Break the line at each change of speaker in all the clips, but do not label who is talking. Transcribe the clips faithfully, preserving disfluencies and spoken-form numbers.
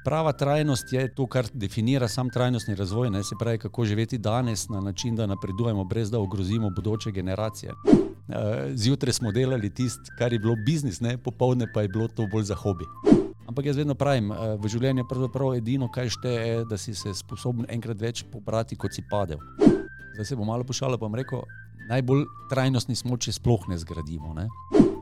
Prava trajnost je to, kar definira sam trajnostni razvoj, ne? Se pravi, kako živeti danes na način, da napredujemo, brez da ogrozimo bodoče generacije. Zjutraj smo delali tisto, kar je bilo biznis, ne? Popoldne pa je bilo to bolj za hobi. Ampak jaz vedno pravim, v življenju pravzaprav edino, kaj šteje, da si se sposoben enkrat več pobrati, kot si padel. Zdaj se bom malo pošalil, pa bom rekel, najbolj trajnostni smo, če sploh ne zgradimo, ne?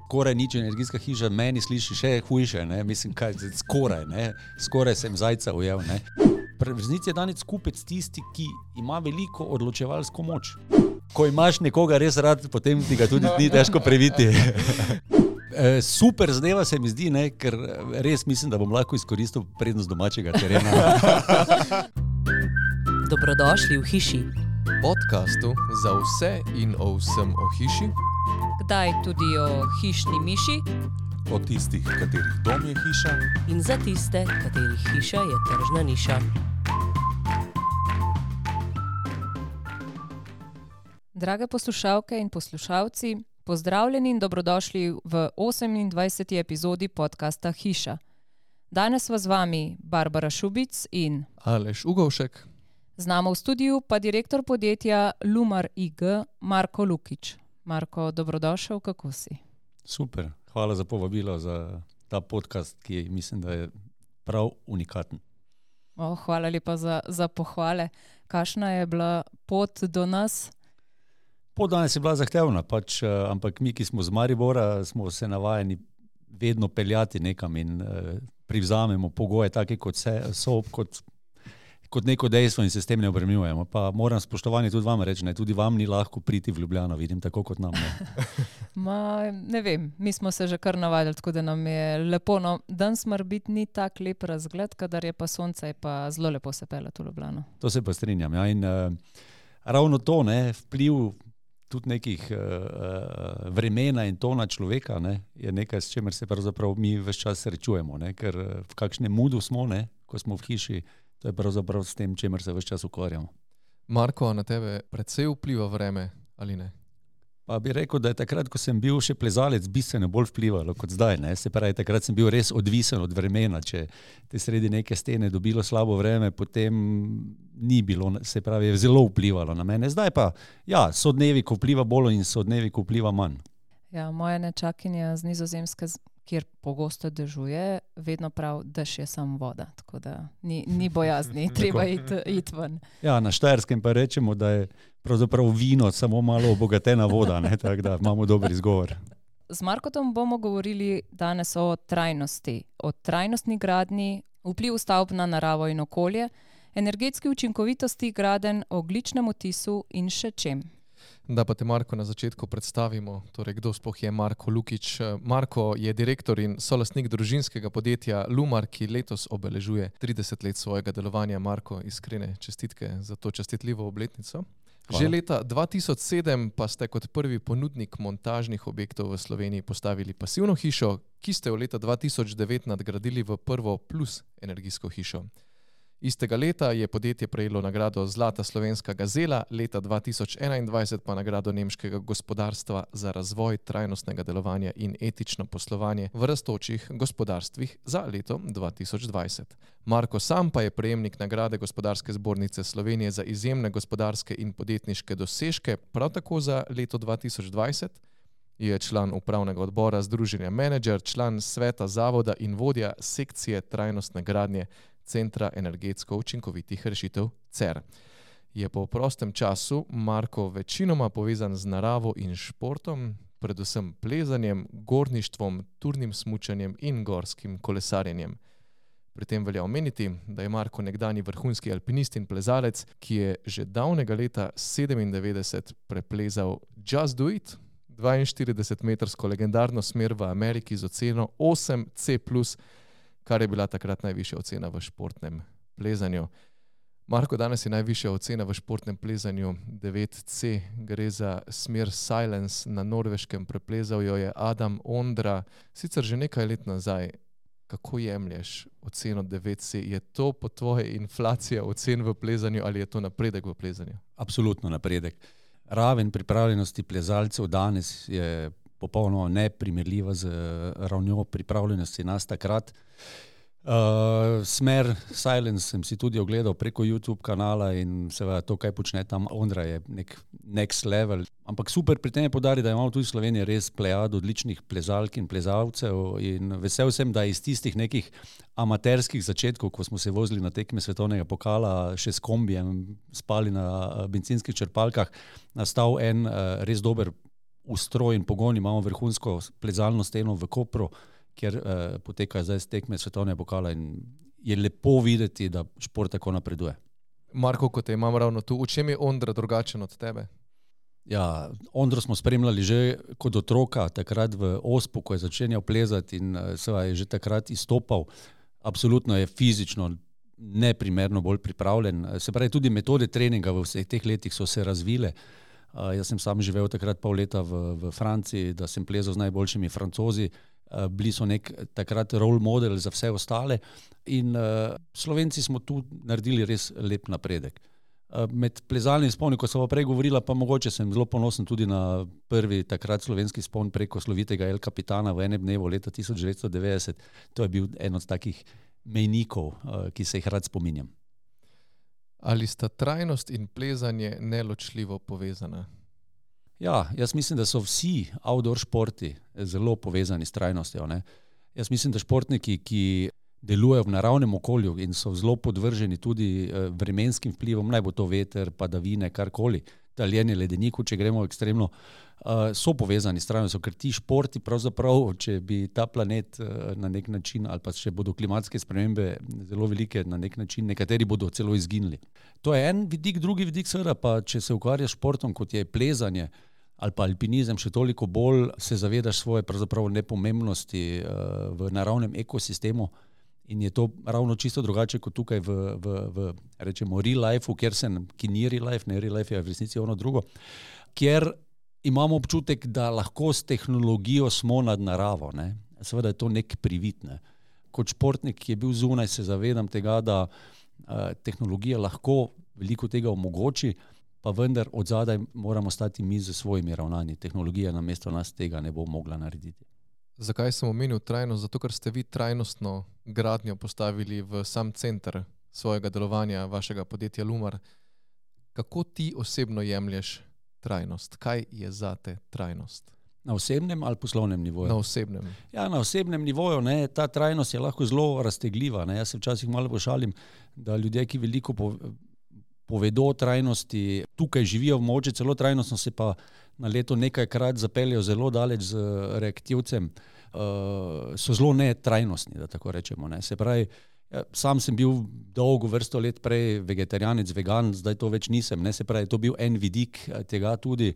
Skoraj nič energijska hiša, meni sliši še hujše, ne? Mislim, kaj, skoraj, ne? Skoraj sem zajca ujel, ne? V resnici je danes kupec tisti, ki ima veliko odločevalsko moč. Ko imaš nekoga res rad, potem ti ga tudi ni težko previti. Super zadeva se mi zdi, ne? Ker res mislim, da bom lahko izkoristil prednost domačega terena.
Dobrodošli v hiši.
Podcastu za vse in o vsem o hiši.
Kdaj tudi o hišni miši.
O tistih, katerih dom je hiša.
In za tiste, katerih hiša je tržna niša. Drage poslušalke in poslušalci, pozdravljeni in dobrodošli v osemindvajseti epizodi podcasta Hiša. Danes vas z vami Barbara Šubic in
Aleš Ugovšek.
Z nami v studiu pa direktor podjetja Lumar I G, Marko Lukić. Marko, dobrodošel, kako si?
Super, hvala za povabilo za ta podcast, ki mislim, da je prav unikaten.
Oh, hvala lepa za, za pohvale. Kakšna je bila pot do nas?
Pot danes je bila zahtevna, pač, ampak mi, ki smo z Maribora, smo se navajeni vedno peljati nekam in uh, privzamemo pogoje take, kot se, so, kot kot neko dejstvo in se s tem ne obremenjujemo. Pa moram spoštovanje tudi vam reči, ne, tudi vam ni lahko priti v Ljubljano, vidim, tako kot nam. Ne,
Ma, ne vem, mi smo se že kar navadili, tako da nam je lepo. No, danes mora biti ni tak lep razgled, kadar je pa sonce, je pa zelo lepo se peljati v Ljubljano.
To se pa strinjam. Ja, in uh, ravno to, ne, vpliv tudi nekih uh, vremena in tona človeka, ne, je nekaj, s čemer se pravzaprav mi ves čas srečujemo, ne, ker v kakšnem moodu smo, ne, ko smo v hiši. To je pravzaprav s tem, čemer se ves čas ukvarjamo.
Marko, na tebe precej vpliva vreme, ali ne?
Pa bi rekel, da je takrat, ko sem bil še plezalec, bistveno bolj vplivalo kot zdaj. Ne? Se pravi, takrat sem bil res odvisen od vremena. Če te sredi neke stene dobilo slabo vreme, potem ni bilo, se pravi, je zelo vplivalo na mene. Zdaj pa, ja, so dnevi, ko vpliva bolj in so dnevi, ko vpliva manj.
Ja, moja nečakinja z Nizozemske, kjer pogosto dežuje, vedno prav, dež je samo voda, tako da ni, ni bojazni, treba iti it ven.
Ja, na Štajerskem pa rečemo, da je pravzaprav vino samo malo obogatena voda, ne, tako da imamo dober izgovor.
Z Markotom bomo govorili danes o trajnosti, o trajnostni gradnji, vplivu stavb na naravo in okolje, energetski učinkovitosti gradenj, ogljičnem odtisu in še čem.
Da pa te, Marko, na začetku predstavimo, torej kdo sploh je Marko Lukić. Marko je direktor in solastnik družinskega podjetja Lumar, ki letos obeležuje trideset let svojega delovanja. Marko, iskrene čestitke za to častitljivo obletnico. Hvala. Že leta dva tisoč sedem pa ste kot prvi ponudnik montažnih objektov v Sloveniji postavili pasivno hišo, ki ste jo leta dva tisoč devet nadgradili v prvo plus energijsko hišo. Istega leta je podjetje prejelo nagrado Zlata slovenska gazela, leta dva tisoč enaindvajset pa nagrado nemškega gospodarstva za razvoj trajnostnega delovanja in etično poslovanje v rastočih gospodarstvih za leto dva tisoč dvajset. Marko sam pa je prejemnik nagrade Gospodarske zbornice Slovenije za izjemne gospodarske in podjetniške dosežke, prav tako za leto dva tisoč dvajset. Je član upravnega odbora Združenja Menedžer, član sveta zavoda in vodja sekcije trajnostne gradnje Centra energetsko učinkovitih rešitev C E R. Je po prostem času Marko večinoma povezan z naravo in športom, predvsem plezanjem, gorništvom, turnim smučanjem in gorskim kolesarjenjem. Pri tem velja omeniti, da je Marko nekdanji vrhunski alpinist in plezalec, ki je že davnega leta sedemindevetdeset preplezal Just Do It, dvainštiridesetmetrsko legendarno smer v Ameriki z oceno osem C plus, kar je bila takrat najvišja ocena v športnem plezanju. Marko, danes je najvišja ocena v športnem plezanju devet C. Gre za smer Silence na Norveškem, preplezal jo je Adam Ondra, sicer že nekaj let nazaj. Kako jemlješ oceno devet C? Je to po tvoje inflacija ocen v plezanju ali je to napredek v plezanju?
Absolutno napredek. Raven pripravljenosti plezalcev danes je popolnoma neprimerljiva z ravnjo pripravljenosti nas takrat. Uh, Smer Silence sem si tudi ogledal preko YouTube kanala in seveda to, kaj počne tam Ondra, je nek next level. Ampak super pri tem je poudariti, da imamo tudi v Sloveniji res plejado odličnih plezalk in plezalcev in vesel sem, da iz tistih nekih amaterskih začetkov, ko smo se vozili na tekme svetovnega pokala, še s kombijem, spali na bencinskih črpalkah, nastal en uh, res dober ustroj in pogon. Imamo vrhunsko plezalno steno v Kopru, kjer uh, potekajo zdaj tekme svetovnega pokala in je lepo videti, da šport tako napreduje.
Marko, ko te imam ravno tu, v čem je Ondra drugačen od tebe?
Ja, Ondro smo spremljali že kot otroka, takrat v Ospu, ko je začenjal plezati in uh, seveda je že takrat izstopal. Absolutno je fizično neprimerno bolj pripravljen. Se pravi, tudi metode treninga v vseh teh letih so se razvile. Uh, jaz sem sam živel takrat pol leta v, v Franciji, da sem plezal z najboljšimi Francozi. Uh, bili so nek takrat role model za vse ostale in uh, Slovenci smo tu naredili res lep napredek. Uh, med plezalnim sponi, ko sem pa prej govorila, pa mogoče sem zelo ponosen tudi na prvi takrat slovenski spon preko slovitega El Capitana v enem dnevu leta tisoč devetsto devetdeset. To je bil en od takih mejnikov, uh, ki se jih rad spominjam.
Ali sta trajnost in plezanje neločljivo povezana?
Ja, jaz mislim, da so vsi outdoor športi zelo povezani s trajnostjo, ne. Jaz mislim, da športniki, ki delujejo v naravnem okolju in so zelo podvrženi tudi vremenskim vplivom, naj bo to veter, padavine, karkoli, taljenje ledeniku, če gremo ekstremno, so povezani s trajnostjo, ker ti športi pravzaprav, če bi ta planet na nek način, ali pa če bodo klimatske spremembe zelo velike na nek način, nekateri bodo celo izginili. To je en vidik, drugi vidik seveda pa, če se ukvarjaš športom, kot je plezanje, ali pa alpinizem, še toliko bolj se zavedaš svoje pravzaprav nepomembnosti v naravnem ekosistemu in je to ravno čisto drugače kot tukaj v, v, v rečemo real life, kjer sem, ki ni real life, ne real life je v resnici ono drugo, kjer imamo občutek, da lahko s tehnologijo smo nad naravo, ne. Seveda je to nek privid, ne. Kot športnik, ki je bil zunaj, se zavedam tega, da uh, tehnologija lahko veliko tega omogoči, pa vendar od zadaj moramo stati mi z svojimi ravnanji. Tehnologija namesto nas tega ne bo mogla narediti.
Zakaj sem omenil trajnost? Zato, ker ste vi trajnostno gradnjo postavili v sam center svojega delovanja, vašega podjetja Lumar. Kako ti osebno jemlješ trajnost? Kaj je zate trajnost?
Na osebnem ali poslovnem nivoju?
Na osebnem.
Ja, na osebnem nivoju, ne, ta trajnost je lahko zelo raztegljiva, ne. Jaz se včasih malo pošalim, da ljudje, ki veliko povedo o trajnosti, tukaj živijo mogoče celo trajnostno, se pa na leto nekajkrat zapeljejo zelo daleč z reaktivcem, uh, so zelo netrajnostni, da tako rečemo, ne. Se pravi, sam sem bil dolgo vrsto let prej vegetarijanec, vegan, zdaj to več nisem, ne. Se pravi, to bil en vidik tega tudi.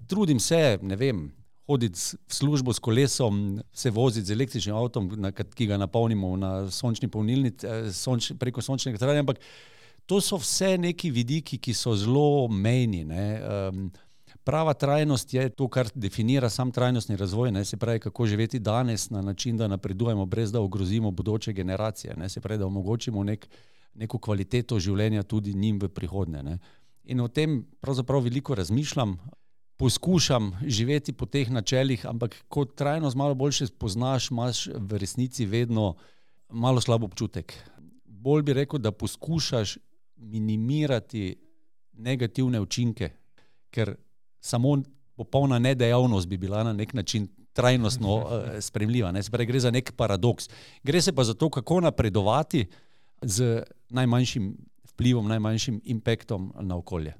Trudim se, ne vem, hoditi v službo s kolesom, se voziti z električnim avtom, na, ki ga napolnimo na sončni polnilnici, sonč, preko sončnega elektrarja, ampak to so vse neki vidiki, ki so zelo mejni, ne. Um, prava trajnost je to, kar definira sam trajnostni razvoj, ne. Se pravi, kako živeti danes na način, da napredujemo, brez da ogrozimo bodoče generacije, ne. Se pravi, da omogočimo nek, neko kvaliteto življenja tudi njim v prihodnje, ne. In o tem pravzaprav veliko razmišljam, poskušam živeti po teh načelih, ampak ko trajnost malo boljše spoznaš, imaš v resnici vedno malo slab občutek. Bolj bi rekel, da poskušaš minimirati negativne učinke, ker samo popolna nedejavnost bi bila na nek način trajnostno uh, spremljiva, ne. Se pravi, gre za nek paradoks. Gre se pa za to, kako napredovati z najmanjšim vplivom, najmanjšim impaktom na okolje.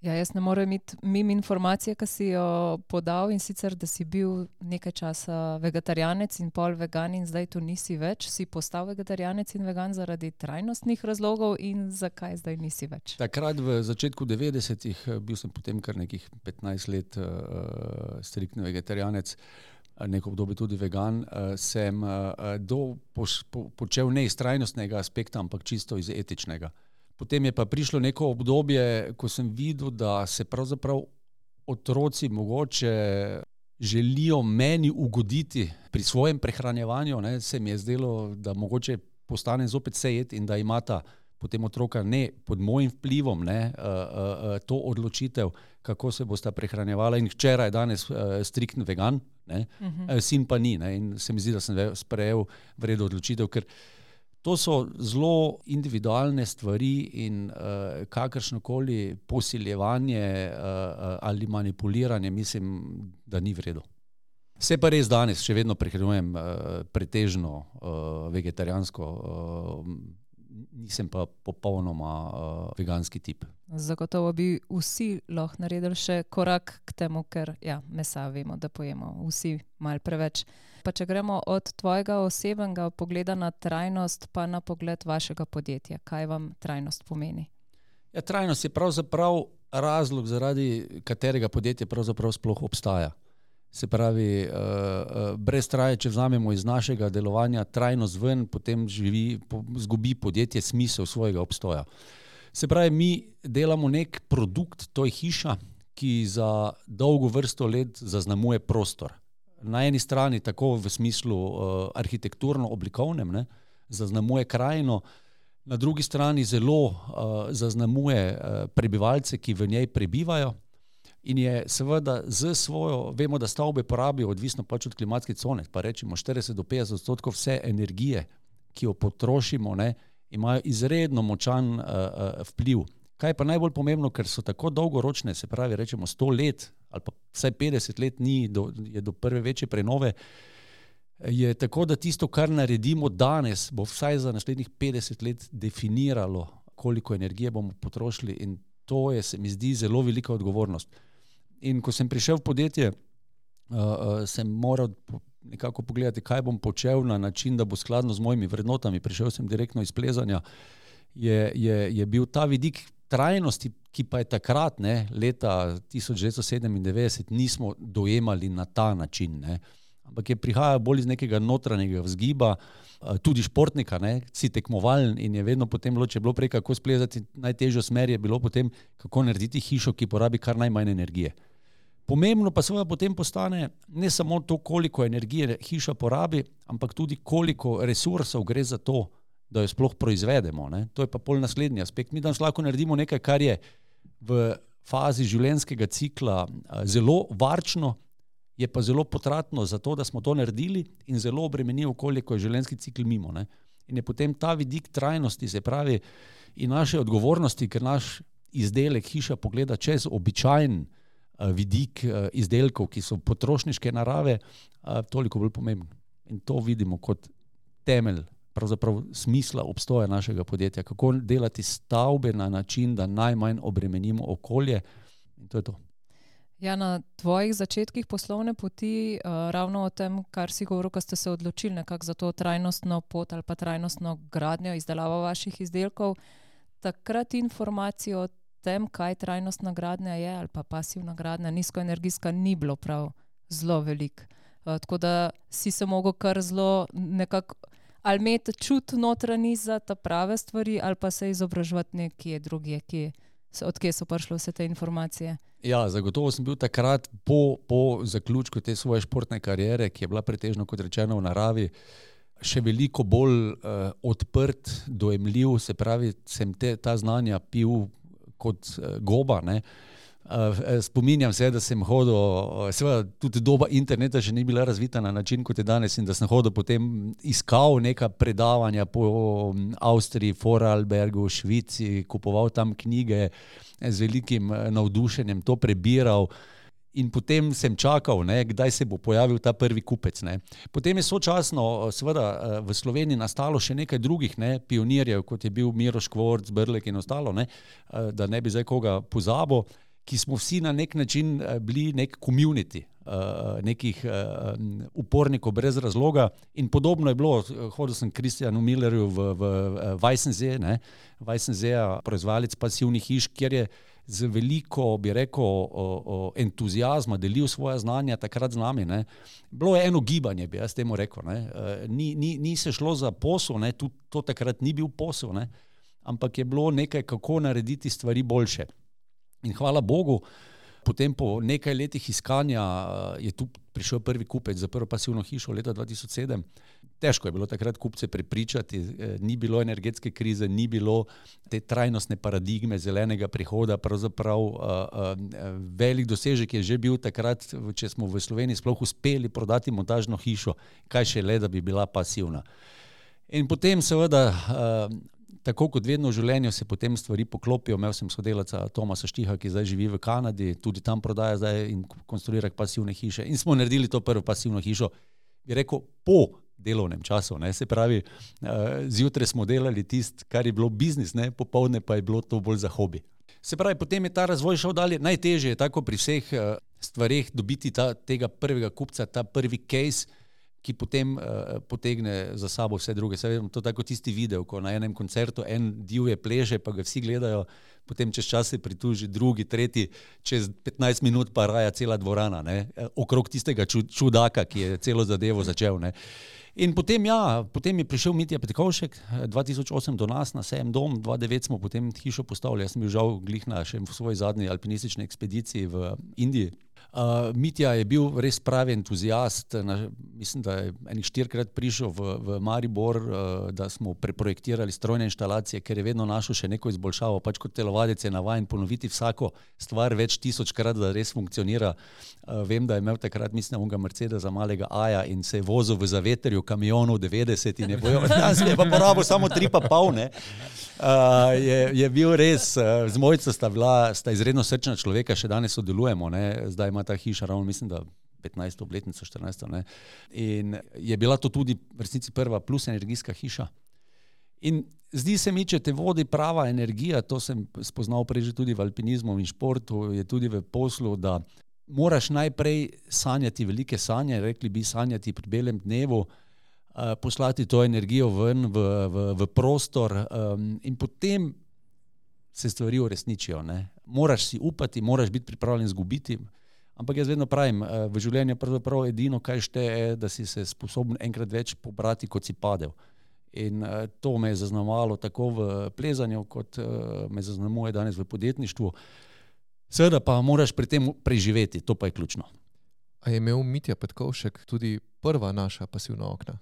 Ja, jaz ne morem iti mimo informacije, ki si jo podal, in sicer, da si bil nekaj časa vegetarijanec in pol vegan in zdaj tu nisi več. Si postal vegetarijanec in vegan zaradi trajnostnih razlogov in zakaj zdaj nisi več?
Takrat v začetku devetdesetih bil sem potem kar nekih petnajst let uh, striktni vegetarijanec, neko obdobje tudi vegan, uh, sem uh, do, poš, po, počel ne iz trajnostnega aspekta, ampak čisto iz etičnega. Potem je pa prišlo neko obdobje, ko sem videl, da se pravzaprav otroci mogoče želijo meni ugoditi pri svojem prehranjevanju, ne. Se mi je zdelo, da mogoče postane zopet sejet in da imata potem otroka ne pod mojim vplivom, ne, uh, uh, to odločitev, kako se bosta prehranjevala in včeraj je danes uh, striktni vegan, ne, uh-huh. sin pa ni, ne, in se mi zdi, da sem sprejel vredno odločitev, ker to so zelo individualne stvari in uh, kakršnokoli posiljevanje uh, ali manipuliranje, mislim, da ni vredno. Vse pa res danes, še vedno prehranjujem uh, pretežno uh, vegetarijansko, uh, nisem pa popolnoma uh, veganski tip.
Zagotovo bi vsi lahko naredili še korak k temu, ker ja, mesa vemo, da pojemo vsi malo preveč. Pa če gremo od tvojega osebnega pogleda na trajnost, pa na pogled vašega podjetja. Kaj vam trajnost pomeni?
Ja, trajnost je pravzaprav razlog, zaradi katerega podjetje pravzaprav sploh obstaja. Se pravi, uh, brez traje, če vzamemo iz našega delovanja trajnost ven, potem živi, po, zgubi podjetje smisel svojega obstoja. Se pravi, mi delamo nek produkt, to je hiša, ki za dolgo vrsto let zaznamuje prostor. Na eni strani tako v smislu uh, arhitekturno-oblikovnem, ne, zaznamuje krajino, na drugi strani zelo uh, zaznamuje uh, prebivalce, ki v njej prebivajo. In je seveda z svojo, vemo, da stavbe porabijo, odvisno pač od klimatske cone, pa rečemo štirideset do petdeset odstotkov vse energije, ki jo potrošimo, ne, imajo izredno močan uh, uh, vpliv. Kaj pa najbolj pomembno, ker so tako dolgoročne, se pravi, rečemo sto let ali pa vsaj petdeset let ni, do, je do prve večje prenove, je tako, da tisto, kar naredimo danes, bo vsaj za naslednjih petdeset let definiralo, koliko energije bomo potrošili in to je, se mi zdi, zelo velika odgovornost. In ko sem prišel v podjetje, uh, uh, sem moral nekako pogledati, kaj bom počel na način, da bo skladno z mojimi vrednotami. Prišel sem direktno iz plezanja. Je, je, je bil ta vidik trajnosti, ki pa je takrat, ne, leta tisoč devetsto sedemindevetdeset, nismo dojemali na ta način, ne. Ampak je prihajal bolj iz nekega notranjega vzgiba, tudi športnika, ne, si tekmovalen in je vedno potem bilo, če je bilo prej kako splezati, najtežjo smer je bilo potem, kako narediti hišo, ki porabi kar najmanj energije. Pomembno pa seveda potem postane ne samo to, koliko energije hiša porabi, ampak tudi koliko resursov gre za to, da jo sploh proizvedemo, ne. To je pa pol naslednji aspekt. Mi danes lahko naredimo nekaj, kar je v fazi življenjskega cikla zelo varčno, je pa zelo potratno za to, da smo to naredili in zelo obremeni okolje, ko je življenjski cikl mimo, ne. In je potem ta vidik trajnosti, se pravi, in naše odgovornosti, ker naš izdelek hiša pogleda čez običajen vidik izdelkov, ki so potrošniške narave, toliko bolj pomembno. In to vidimo kot temelj, pravzaprav smisla obstoja našega podjetja. Kako delati stavbe na način, da najmanj obremenimo okolje, in to je to.
Ja, na tvojih začetkih poslovne poti, uh, ravno o tem, kar si govoril, ko ste se odločili nekako za to trajnostno pot ali pa trajnostno gradnjo, izdelavo vaših izdelkov, takrat informacijo o tem, kaj trajnostna gradnja je ali pa pasivna gradnja, nizkoenergijska, ni bilo prav zelo veliko. Uh, tako da si se mogel kar zelo nekako ali imeti čut notranji za ta prave stvari ali pa se izobraževati nekje drugje, kje, od kje so prišle vse te informacije.
Ja, zagotovo sem bil takrat po, po zaključku te svoje športne kariere, ki je bila pretežno, kot rečeno, v naravi, še veliko bolj uh, odprt, dojemljiv, se pravi, sem te, ta znanja pil kot uh, goba, ne. Uh, spominjam se, da sem hodil, uh, seveda tudi doba interneta še ni bila razvita na način, kot je danes, in da sem hodil potem iskal neka predavanja po Avstriji, Vorarlbergu, Švici, kupoval tam knjige, z velikim navdušenjem to prebiral in potem sem čakal, ne, kdaj se bo pojavil ta prvi kupec. Ne. Potem je sočasno seveda v Sloveniji nastalo še nekaj drugih, ne, pionirjev, kot je bil Miro Škvorc, Brlek in ostalo, ne, da ne bi zdaj koga pozabil, ki smo vsi na nek način bili nek community, nekih upornikov brez razloga in podobno je bilo. Hodil sem Kristjanu Millerju v, v Weissensee, ne, Weissensee, proizvajalec pasivnih hiš, kjer je z veliko, bi rekel, o, o entuzijazma delil svoja znanja takrat z nami, ne. Bilo je eno gibanje, bi jaz temu rekel, ne. Ni, ni, ni se šlo za posel, ne, tudi to takrat ni bil posel, ne, ampak je bilo nekaj, kako narediti stvari boljše. In hvala Bogu, potem po nekaj letih iskanja je tu prišel prvi kupec za prvo pasivno hišo leta dva tisoč sedem. težko je bilo takrat kupce prepričati, ni bilo energetske krize, ni bilo te trajnostne paradigme zelenega prihoda, pravzaprav uh, uh, velik dosežek je že bil takrat, če smo v Sloveniji sploh uspeli prodati montažno hišo, kaj še le, da bi bila pasivna. In potem seveda, uh, tako kot vedno v življenju, se potem stvari poklopijo. Imel sem sodelavca Tomasa Štiha, ki zdaj živi v Kanadi, tudi tam prodaja zdaj in konstruira pasivne hiše. In smo naredili to prvo pasivno hišo, bi rekel, po delovnem času, ne, se pravi, uh, zjutraj smo delali tist, kar je bilo biznis, ne, popoldne pa je bilo to bolj za hobi. Se pravi, potem je ta razvoj šel dalje, najtežje je tako pri vseh uh, stvareh dobiti ta, tega prvega kupca, ta prvi case, ki potem uh, potegne za sabo vse druge. Se vem, to tako tisti video, ko na enem koncertu en divje pleže, pa ga vsi gledajo, potem čez čas se prituži drugi, tretji, čez petnajst minut pa raja cela dvorana, ne, okrog tistega čudaka, ki je celo zadevo začel, ne. In potem, ja, potem je prišel Mitja Petkovšek dva tisoč osem do nas na sejem Dom, dva tisoč devet smo potem hišo postavili, jaz sem bil žal glih na še v svoji zadnji alpinistični ekspediciji v Indiji. Uh, Mitja je bil res pravi entuzijast, na, mislim, da je enih štirikrat prišel v, v Maribor, uh, da smo preprojektirali strojne inštalacije, ker je vedno našel še neko izboljšavo, pač kot telovadec je navajen ponoviti vsako stvar več tisočkrat, da res funkcionira. Uh, vem, da je imel takrat, mislim, unga Mercedesa malega Aja in se je vozil v zavetrju kamionov devetdeset in je bojo, jaz je pa porabil samo tri pa pol, ne. Uh, je, je bil res, uh, z mojico sta bila, sta izredno srčna človeka, še danes sodelujemo, ne, zdaj ima ta hiša ravno, mislim, da petnajsto obletnico, štirinajsto, ne, in je bila to tudi v resnici prva plus energijska hiša. In zdi se mi, če te vodi prava energija, to sem spoznal prej že tudi v alpinizmu in športu, je tudi v poslu, da moraš najprej sanjati velike sanje, rekli bi sanjati pri belem dnevu, Uh, poslati to energijo ven v, v, v prostor um, in potem se stvari uresničijo, ne. Moraš si upati, moraš biti pripravljen zgubiti, ampak jaz vedno pravim, uh, v življenju pravzaprav edino, kaj šteje, da si se sposoben enkrat več pobrati, kot si padel. In uh, to me je zaznamovalo tako v plezanju, kot uh, me zaznamuje danes v podjetništvu. Seveda pa moraš pri tem preživeti, to pa je ključno.
A je imel Mitja Petkovšek tudi prva naša pasivna okna?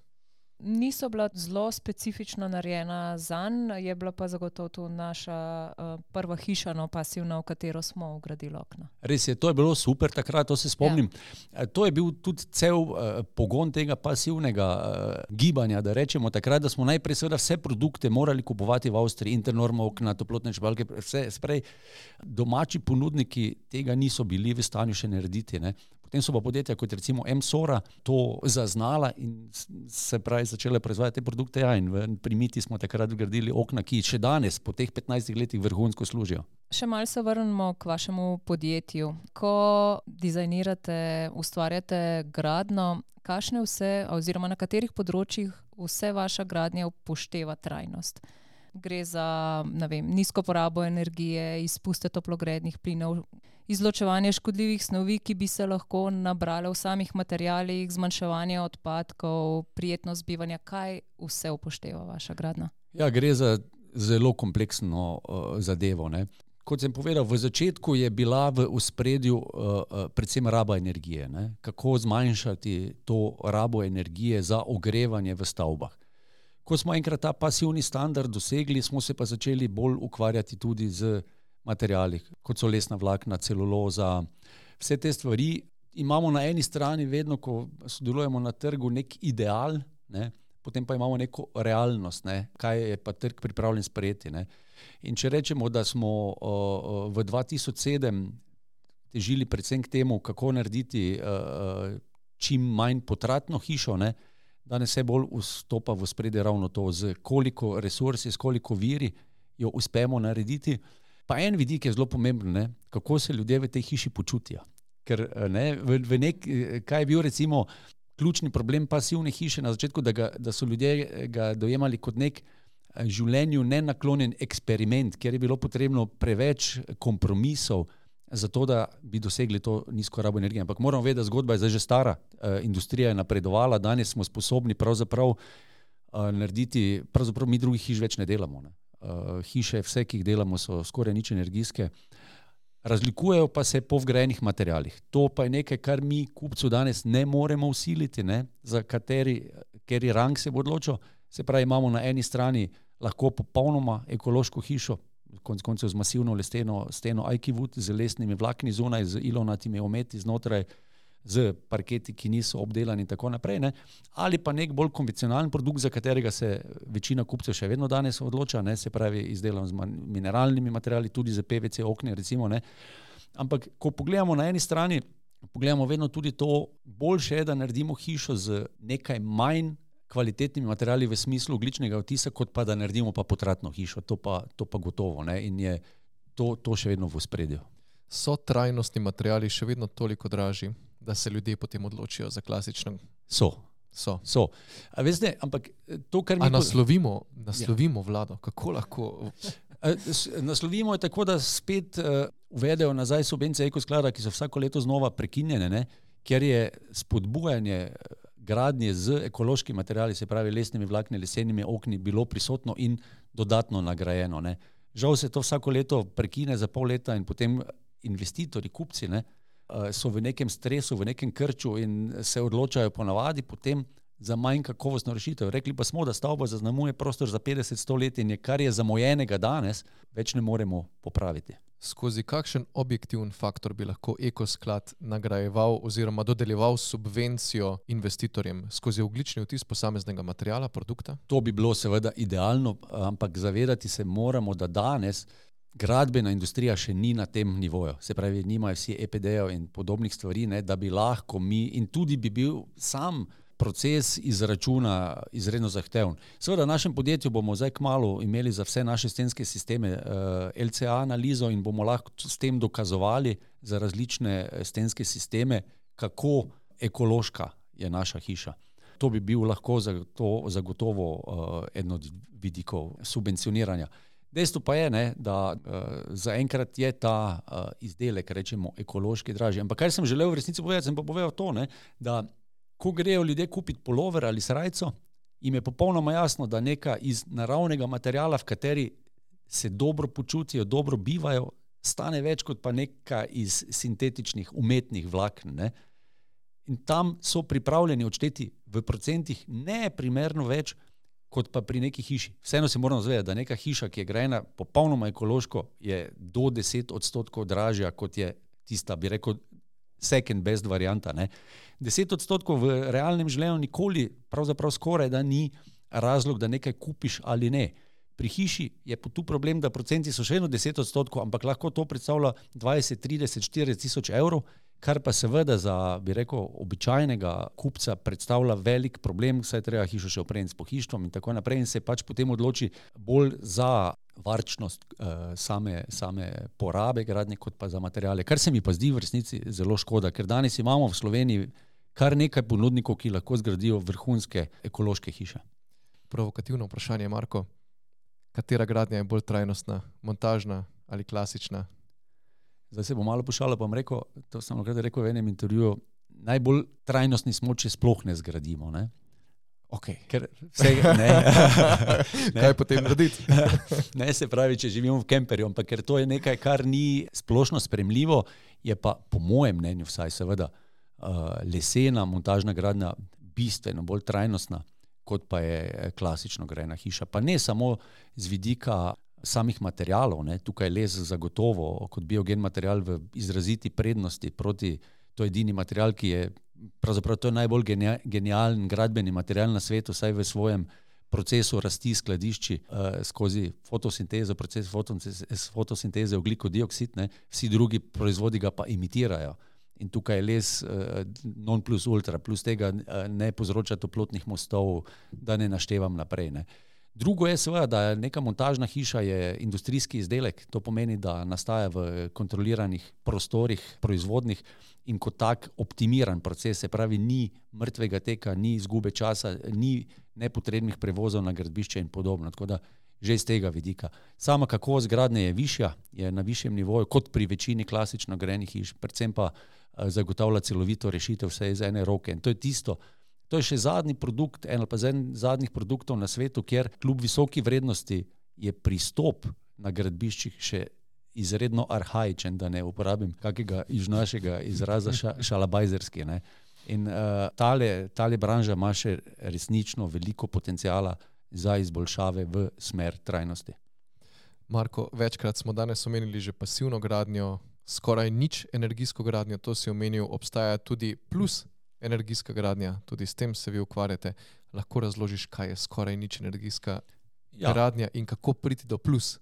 Niso bila zelo specifično narejena zanj, je bila pa zagotovo to naša uh, prva hiša, no, pasivna, v katero smo vgradili okna.
Res je, to je bilo super takrat, to se spomnim. Ja. To je bil tudi cel uh, pogon tega pasivnega uh, gibanja, da rečemo takrat, da smo najprej seveda vse produkte morali kupovati v Avstriji, Internorma okna, toplotne črpalke, vse sprej. Domači ponudniki tega niso bili v stanju še narediti, ne. Potem so pa podjetja kot recimo Emsora to zaznala in se pravi začele proizvajati te produkte, ja, in pri Miti smo takrat vgradili okna, ki še danes po teh petnajstih letih vrhunsko služijo.
Še malo se vrnemo k vašemu podjetju. Ko dizajnirate, ustvarjate gradno, kakšne vse oziroma na katerih področjih vse vaša gradnja upošteva trajnost? Gre za, ne vem, nizko porabo energije, izpuste toplogrednih plinov, izločevanje škodljivih snovi, ki bi se lahko nabrale v samih materialih, zmanjševanje odpadkov, prijetnost bivanja. Kaj vse upošteva vaša gradnja?
Ja, gre za zelo kompleksno uh, zadevo, ne. Kot sem povedal, v začetku je bila v ospredju uh, predvsem raba energije, ne. Kako zmanjšati to rabo energije za ogrevanje v stavbah. Ko smo enkrat ta pasivni standard dosegli, smo se pa začeli bolj ukvarjati tudi z materiali, kot so lesna vlakna, celuloza, vse te stvari. Imamo na eni strani vedno, ko sodelujemo na trgu, nek ideal, ne, potem pa imamo neko realnost, ne, kaj je pa trg pripravljen sprejeti, ne. In če rečemo, da smo uh, v dva tisoč sedem težili predvsem k temu, kako narediti uh, čim manj potratno hišo, ne, danes se bolj vstopa v ospredje ravno to, z koliko resursi, s koliko viri jo uspemo narediti. Pa en vidik je zelo pomemben, ne, kako se ljudje v tej hiši počutijo. Ker ne, v, v nek, kaj je bil recimo ključni problem pasivne hiše na začetku, da, ga, da so ljudje ga dojemali kot nek življenju nenaklonjen eksperiment, kjer je bilo potrebno preveč kompromisov za to, da bi dosegli to nizko rabo energije. Ampak moramo vedeti, da zgodba je zdaj že stara, uh, industrija je napredovala, danes smo sposobni pravzaprav uh, narediti, pravzaprav mi drugih hiš več ne delamo, ne. Uh, hiše, vse, ki jih delamo, so skoraj nič energijske. Razlikujejo pa se po vgrajenih materialih. To pa je nekaj, kar mi kupcu danes ne moremo usiliti, ne? Za kateri, kateri rang se bo odločil. Se pravi, imamo na eni strani lahko popolnoma ekološko hišo, konec koncev z masivno lesteno steno Aikiwood, z lesnimi vlakni zunaj, z ilonatimi ometi znotraj, z parketi, ki niso obdelani in tako naprej, ne? Ali pa nek bolj konvencionalen produkt, za katerega se večina kupcev še vedno danes odloča, ne? Se pravi, izdelan z mineralnimi materiali, tudi za P V C okne, recimo, ne? Ampak, ko pogledamo na eni strani, pogledamo vedno tudi to, boljše je, da naredimo hišo z nekaj manj kvalitetnimi materiali v smislu ogljičnega odtisa, kot pa da naredimo pa potratno hišo. To pa, to pa gotovo, ne? In je to, to še vedno v ospredju.
So trajnostni materiali še vedno toliko dražji, da se ljudje potem odločijo za klasično?
So.
So.
So. A veste, ampak to, kar mi...
A naslovimo, naslovimo ja. vlado? Kako lahko...
Naslovimo je tako, da spet uh, uvedejo nazaj subvencije ekosklada, ki so vsako leto znova prekinjene, ne? Ker je spodbujanje gradnje z ekološkimi materiali, se pravi lesnimi vlakni, lesenimi okni, bilo prisotno in dodatno nagrajeno, ne? Žal se to vsako leto prekine za pol leta in potem investitorji, kupci, ne, so v nekem stresu, v nekem krču in se odločajo ponavadi potem za manj kakovostno rešitev. Rekli pa smo, da stavba zaznamuje prostor za petdeset sto let in je, kar je zamojenega danes, več ne moremo popraviti.
Skozi kakšen objektivni faktor bi lahko ekosklad nagrajeval oziroma dodeljeval subvencijo investitorjem? Skozi ogljični odtis posameznega materiala, produkta?
To bi bilo seveda idealno, ampak zavedati se moramo, da danes gradbena industrija še ni na tem nivoju. Se pravi, nimajo vsi E P D-jev in podobnih stvari, ne, da bi lahko mi, in tudi bi bil sam proces izračuna izredno zahteven. Seveda v našem podjetju bomo zdaj kmalu imeli za vse naše stenske sisteme uh, L C A analizo in bomo lahko s tem dokazovali za različne stenske sisteme, kako ekološka je naša hiša. To bi bil lahko zagotovo, zagotovo uh, eno od vidikov subvencioniranja. Dejstvo pa je, ne, da uh, zaenkrat je ta uh, izdelek, rečemo, ekološki dražji. Ampak kar sem želel v resnici povedati, sem pa povedal to, ne, da ko grejo ljudje kupiti polover ali srajco, jim je popolnoma jasno, da neka iz naravnega materiala, v kateri se dobro počutijo, dobro bivajo, stane več kot pa neka iz sintetičnih, umetnih vlaken, ne. In tam so pripravljeni odšteti v procentih ne primerno več, kot pa pri neki hiši. Vseeno se moramo zavedati, da neka hiša, ki je grajena popolnoma ekološko, je do deset odstotkov dražja, kot je tista, bi rekel, second best varianta, ne. Deset odstotkov v realnem življenju nikoli, pravzaprav skoraj, da ni razlog, da nekaj kupiš ali ne. Pri hiši je tu problem, da procenti so še eno deset odstotkov, ampak lahko to predstavlja dvajset, trideset, štirideset tisoč evrov, kar pa seveda za, bi rekel, običajnega kupca predstavlja velik problem, saj treba hišo še opremiti s pohištvom in tako naprej in se pač potem odloči bolj za varčnost uh, same, same porabe gradnje, kot pa za materiale. Kar se mi pa zdi v resnici zelo škoda, ker danes imamo v Sloveniji kar nekaj ponudnikov, ki lahko zgradijo vrhunske ekološke hiše.
Provokativno vprašanje, Marko. Katera gradnja je bolj trajnostna, montažna ali klasična?
Zdaj se bom malo pošalil, pa bom rekel, to sem nekaj rekel v enem intervjuju, najbolj trajnostni smo, če sploh ne zgradimo, ne?
Ok.
Ker vsega, ne.
ne. Kaj potem narediti?
Ne, se pravi, če živimo v kemperju, ampak ker to je nekaj, kar ni splošno sprejemljivo, je pa po mojem mnenju vsaj seveda uh, lesena montažna gradnja bistveno bolj trajnostna, kot pa je klasično grajena hiša. Pa ne samo z vidika samih materialov, ne. Tukaj les zagotovo kot biogen material v izraziti prednosti proti, to je edini material, ki je pravzaprav to je najbolj genialen gradbeni material na svetu, saj v svojem procesu rasti skladišči uh, skozi fotosintezo, proces fotosinteze, fotosinteze ogljikov dioksid, ne, vsi drugi proizvodi ga pa imitirajo. In tukaj je les uh, non plus ultra, plus tega uh, ne povzroča toplotnih mostov, da ne naštevam naprej, ne. Drugo je seveda, da neka montažna hiša je industrijski izdelek, to pomeni, da nastaja v kontroliranih prostorih proizvodnih in kot tak optimiran proces, se pravi, ni mrtvega teka, ni izgube časa, ni nepotrebnih prevozov na gradbišče in podobno, tako da že iz tega vidika. Sama kakovost gradnje je višja, je na višjem nivoju, kot pri večini klasično grajenih hiš, predvsem pa zagotavlja celovito rešitev vse iz ene roke in to je tisto. To je še zadnji produkt, en ali pa zadnjih produktov na svetu, kjer kljub visoki vrednosti je pristop na gradbiščih še izredno arhaičen, da ne uporabim kakega iz našega izraza ša, šalabajzerski. Ne. In uh, tale, tale branža ima še resnično veliko potencijala za izboljšave v smer trajnosti.
Marko, večkrat smo danes omenili že pasivno gradnjo, skoraj nič energijsko gradnjo, to si omenil, obstaja tudi plus energijska gradnja, tudi s tem se vi ukvarjate. Lahko razložiš, kaj je skoraj nič energijska ja. gradnja in kako priti do plus?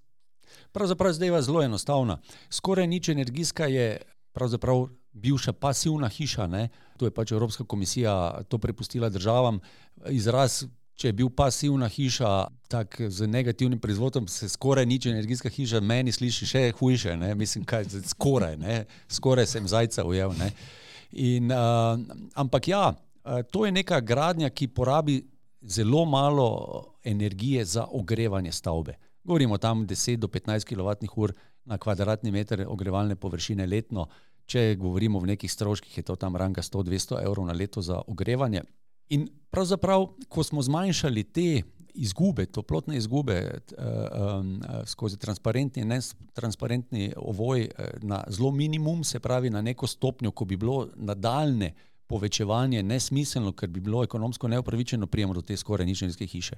Pravzaprav zdaj zelo enostavna. Skoraj nič energijska je pravzaprav bivša pasivna hiša, ne? To je pač Evropska komisija to prepustila državam. Izraz, če je bil pasivna hiša tak z negativnim proizvodom, se skoraj nič energijska hiša meni sliši še hujše, ne? Mislim, kaj skoraj, ne? Skoraj sem zajca ujel, ne? In, uh, ampak ja, to je neka gradnja, ki porabi zelo malo energije za ogrevanje stavbe. Govorimo tam deset do petnajst kilovatnih ur na kvadratni meter ogrevalne površine letno. Če govorimo v nekih stroških, je to tam ranga sto do dvesto evrov na leto za ogrevanje. In pravzaprav, ko smo zmanjšali te izgube, toplotne izgube um, skozi transparentni in netransparentni ovoj na zelo minimum, se pravi na neko stopnjo, ko bi bilo nadaljne povečevanje nesmiselno, ker bi bilo ekonomsko neupravičeno, prijemo do te skoraj nič energijske hiše.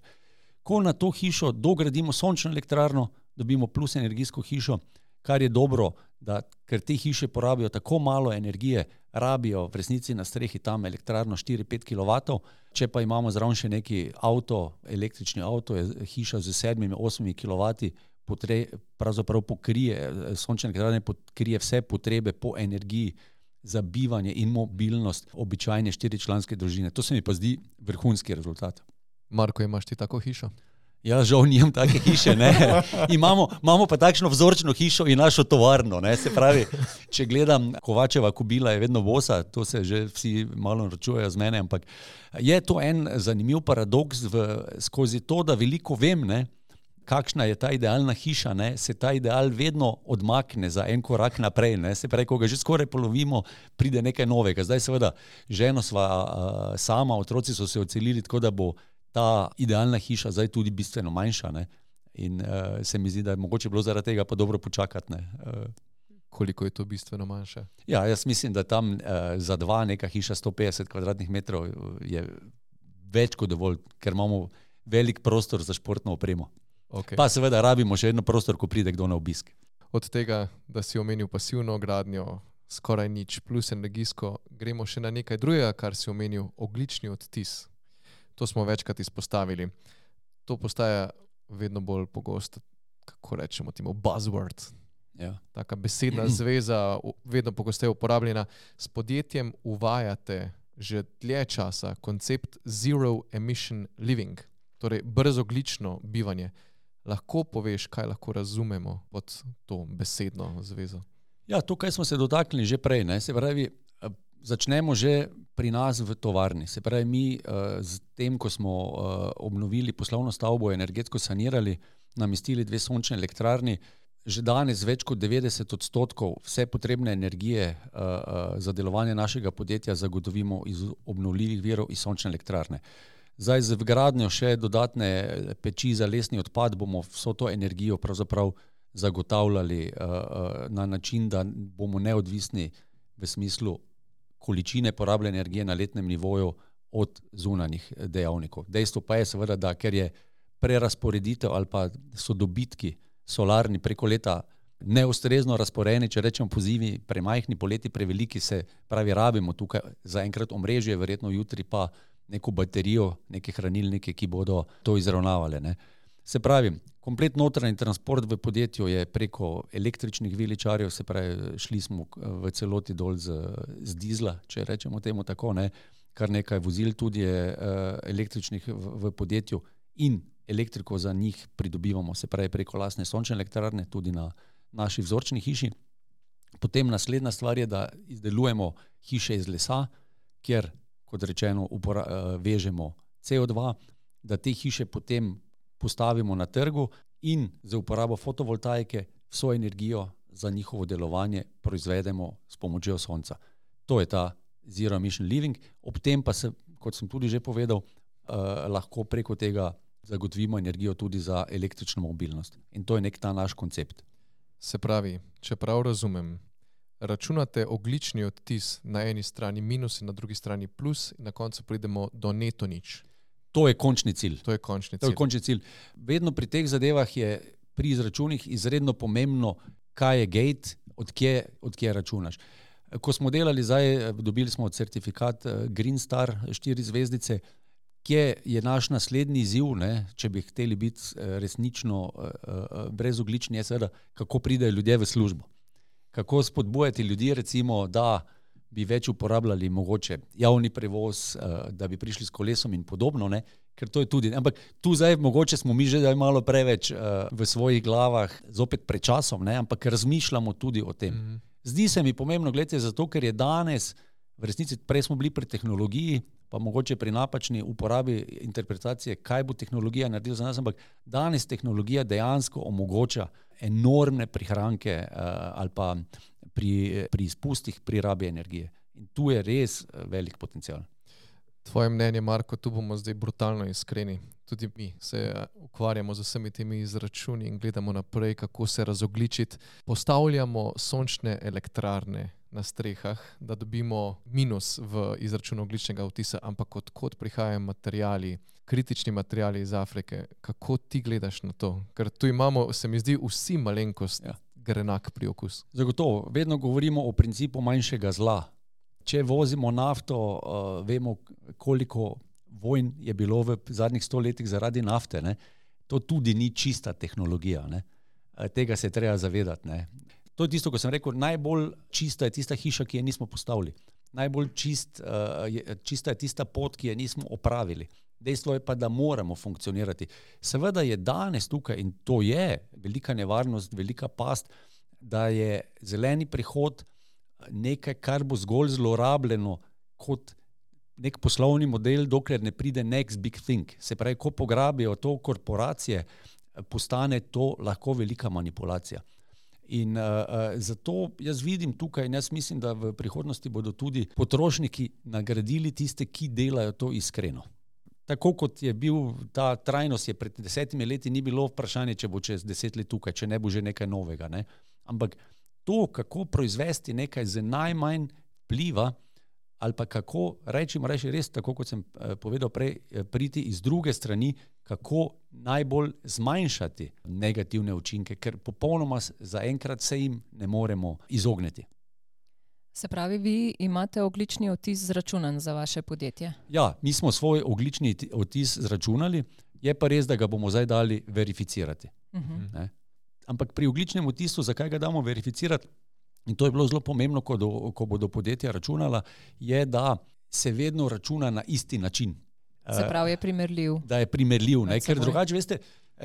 Ko na to hišo dogradimo sončno elektrarno, dobimo plus energijsko hišo, kar je dobro, da, ker te hiše porabijo tako malo energije, rabijo v resnici na strehi tam elektrarno štiri do pet kilovatov, če pa imamo zraven še neki avto, električni avto, je hiša z sedmimi, osmimi kilovati, potre, pravzaprav pokrije, sončne elektrarne pokrije vse potrebe po energiji za bivanje in mobilnost običajne štiričlanske družine. To se mi pa zdi vrhunski rezultat.
Marko, imaš ti tako hišo?
Ja, žal nimam take hiše, ne. Imamo, imamo pa takšno vzorčno hišo in našo tovarno, ne. Se pravi, če gledam, Kovačeva kobila je vedno bosa, to se že vsi malo naročujejo z mene, ampak je to en zanimiv paradoks v, skozi to, da veliko vem, ne, kakšna je ta idealna hiša, ne, se ta ideal vedno odmakne za en korak naprej, ne. Se pravi, ko ga že skoraj polovimo, pride nekaj novega. Zdaj seveda, ženo sva uh, sama, otroci so se odselili, tako da bo ta idealna hiša zdaj tudi bistveno manjša, ne? In uh, se mi zdi, da je mogoče bilo zaradi tega pa dobro počakati. Ne? Uh,
Koliko je to bistveno manjše?
Ja, jaz mislim, da tam uh, za dva neka hiša sto petdeset kvadratnih metrov je več kot dovolj, ker imamo velik prostor za športno opremo. Okay. Pa seveda rabimo še eno prostor, ko pride kdo na obisk.
Od tega, da si omenil pasivno gradnjo, skoraj nič, plus energijsko, gremo še na nekaj drugega, kar si omenil, ogljični odtis. To smo večkrat izpostavili. To postaja vedno bolj pogosto, kako rečemo temu, buzzword.
Ja.
Taka besedna zveza, vedno pogosteje uporabljena. S podjetjem uvajate že dlje časa koncept zero emission living, torej brezogljično bivanje. Lahko poveš, kaj lahko razumemo pod to besedno zvezo?
Ja, tukaj smo se dotaknili že prej, ne? Se pravi, začnemo že pri nas v tovarni. Se pravi, mi uh, z tem, ko smo uh, obnovili poslovno stavbo, energetsko sanirali, namestili dve sončne elektrarni, že danes več kot devetdeset odstotkov vse potrebne energije uh, uh, za delovanje našega podjetja zagotovimo iz obnovljivih virov iz sončne elektrarne. Zdaj z vgradnjo še dodatne peči za lesni odpad bomo vso to energijo pravzaprav zagotavljali uh, uh, na način, da bomo neodvisni v smislu količine porabljene energije na letnem nivoju od zunanjih dejavnikov. Dejstvo pa je seveda, da ker je prerasporeditev ali pa so dobitki solarni preko leta neustrezno razporejeni, če rečemo pozivi premajhni, poleti preveliki, se pravi rabimo tukaj za enkrat omrežje, verjetno jutri pa neko baterijo, neke hranilnike, ki bodo to izravnavale, ne. Se pravi, komplet notranji transport v podjetju je preko električnih viličarjev, se pravi, šli smo v celoti dol z, z dizla, če rečemo temu tako, ne, kar nekaj vozil tudi je uh, električnih v, v podjetju in elektriko za njih pridobivamo, se pravi, preko lastne sončne elektrarne, tudi na naši vzorčni hiši. Potem naslednja stvar je, da izdelujemo hiše iz lesa, kjer, kot rečeno, upora, uh, vežemo C O dva, da te hiše potem postavimo na trgu in za uporabo fotovoltaike vso energijo za njihovo delovanje proizvedemo s pomočjo sonca. To je ta zero emission living. Ob tem pa se, kot sem tudi že povedal, eh, lahko preko tega zagotovimo energijo tudi za električno mobilnost. In to je nek ta naš koncept.
Se pravi, če prav razumem, računate ogljični odtis na eni strani minus in na drugi strani plus in na koncu pridemo do neto nič.
To je končni cilj.
To je končni
To
cilj.
je končni cilj. Vedno pri teh zadevah je pri izračunih izredno pomembno, kaj je gate, odkje, odkje računaš. Ko smo delali zdaj, dobili smo certifikat Green Star, štiri zvezdice, kje je naš naslednji izziv, ne, če bi hteli biti resnično brezogljični, je seveda, kako pridejo ljudje v službo. Kako spodbujati ljudi, recimo, da bi več uporabljali mogoče javni prevoz, da bi prišli s kolesom in podobno, ne, ker to je tudi. Ampak tu zdaj mogoče smo mi že malo preveč v svojih glavah, zopet pred časom, ne, ampak razmišljamo tudi o tem. Mm-hmm. Zdi se mi pomembno, gledajte, zato ker je danes, v resnici prej smo bili pri tehnologiji, pa mogoče pri napačni uporabi interpretacije, kaj bo tehnologija naredila za nas, ampak danes tehnologija dejansko omogoča enormne prihranke uh, ali pa pri, pri izpustih, pri rabi energije. In tu je res velik potencial.
Tvoje mnenje, Marko, tu bomo zdaj brutalno iskreni. Tudi mi se ukvarjamo z vsemi temi izračuni in gledamo naprej, kako se razogličiti. Postavljamo sončne elektrarne na strehah, da dobimo minus v izračunu ogljičnega odtisa, ampak odkot prihajajo materijali, kritični materijali iz Afrike. Kako ti gledaš na to? Ker tu imamo, se mi zdi, vsi malenkost ja. grenak priokus.
Zagotovo, vedno govorimo o principu manjšega zla. Če vozimo nafto, uh, vemo, koliko vojn je bilo v zadnjih sto letih zaradi nafte. Ne? To tudi ni čista tehnologija. Ne? Tega se je treba zavedati. Ne? To je tisto, ko sem rekel, najbolj čista je tista hiša, ki je nismo postavili. Najbolj čist, uh, je, čista je tista pot, ki je nismo opravili. Dejstvo je pa, da moramo funkcionirati. Seveda je danes tukaj, in to je velika nevarnost, velika past, da je zeleni prihod nekaj, kar bo zgolj zlorabljeno kot nek poslovni model, dokler ne pride next big thing. Se pravi, ko pograbijo to korporacije, postane to lahko velika manipulacija. In uh, zato jaz vidim tukaj in jaz mislim, da v prihodnosti bodo tudi potrošniki nagradili tiste, ki delajo to iskreno. Tako kot je bil ta trajnost, je pred desetimi leti ni bilo vprašanje, če bo čez deset let tukaj, če ne bo že nekaj novega. Ne? Ampak to, kako proizvesti nekaj z najmanj vpliva, ali pa kako, rečemo reči res, tako kot sem povedal prej, priti iz druge strani, kako najbolj zmanjšati negativne učinke, ker popolnoma zaenkrat se jim ne moremo izogniti.
Se pravi, vi imate ogljični odtis zračunan za vaše podjetje?
Ja, mi smo svoj ogljični odtis zračunali, je pa res, da ga bomo zdaj dali verificirati. Uh-huh. Ne? Ampak pri ogljičnem odtisu, zakaj ga damo verificirati, in to je bilo zelo pomembno, ko, do, ko bodo podjetja računala, je, da se vedno računa na isti način.
Se pravi, je primerljiv.
Da je primerljiv, ne? Ker drugače, veste,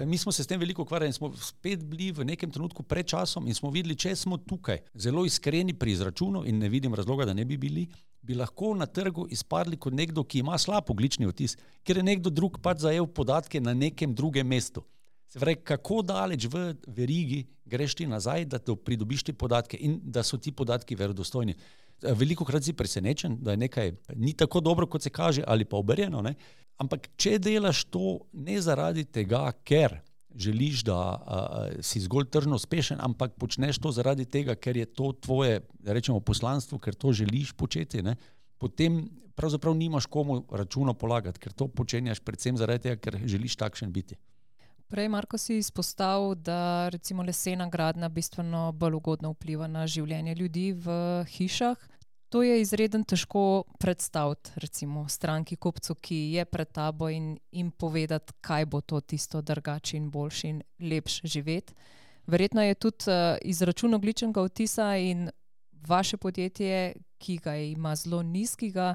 mi smo se s tem veliko ukvarjali in smo spet bili v nekem trenutku pred časom in smo videli, če smo tukaj zelo iskreni pri izračunu in ne vidim razloga, da ne bi bili, bi lahko na trgu izpadli kot nekdo, ki ima slab ogljični odtis, ker je nekdo drug pač zajel podatke na nekem drugem mestu. Se pravi, kako daleč v verigi greš ti nazaj, da pridobiš te podatke in da so ti podatki verodostojni. Veliko krat si presenečen, da je nekaj ni tako dobro, kot se kaže, ali pa obrjeno, ne? Ampak če delaš to ne zaradi tega, ker želiš, da a, si zgolj tržno uspešen, ampak počneš to zaradi tega, ker je to tvoje, da rečemo, poslanstvo, ker to želiš početi, ne? Potem pravzaprav nimaš komu računo polagati, ker to počenjaš predvsem zaradi tega, ker želiš takšen biti.
Prej, Marko, si izpostavil, da recimo lesena gradnja bistveno bolj ugodno vpliva na življenje ljudi v hišah. To je izredno težko predstaviti, recimo stranki kupcu, ki je pred tabo in jim povedati, kaj bo to tisto drugače in boljše in lepše živeti. Verjetno je tudi uh, izračun ogljičnega odtisa in vaše podjetje, ki ga ima zelo nizkega,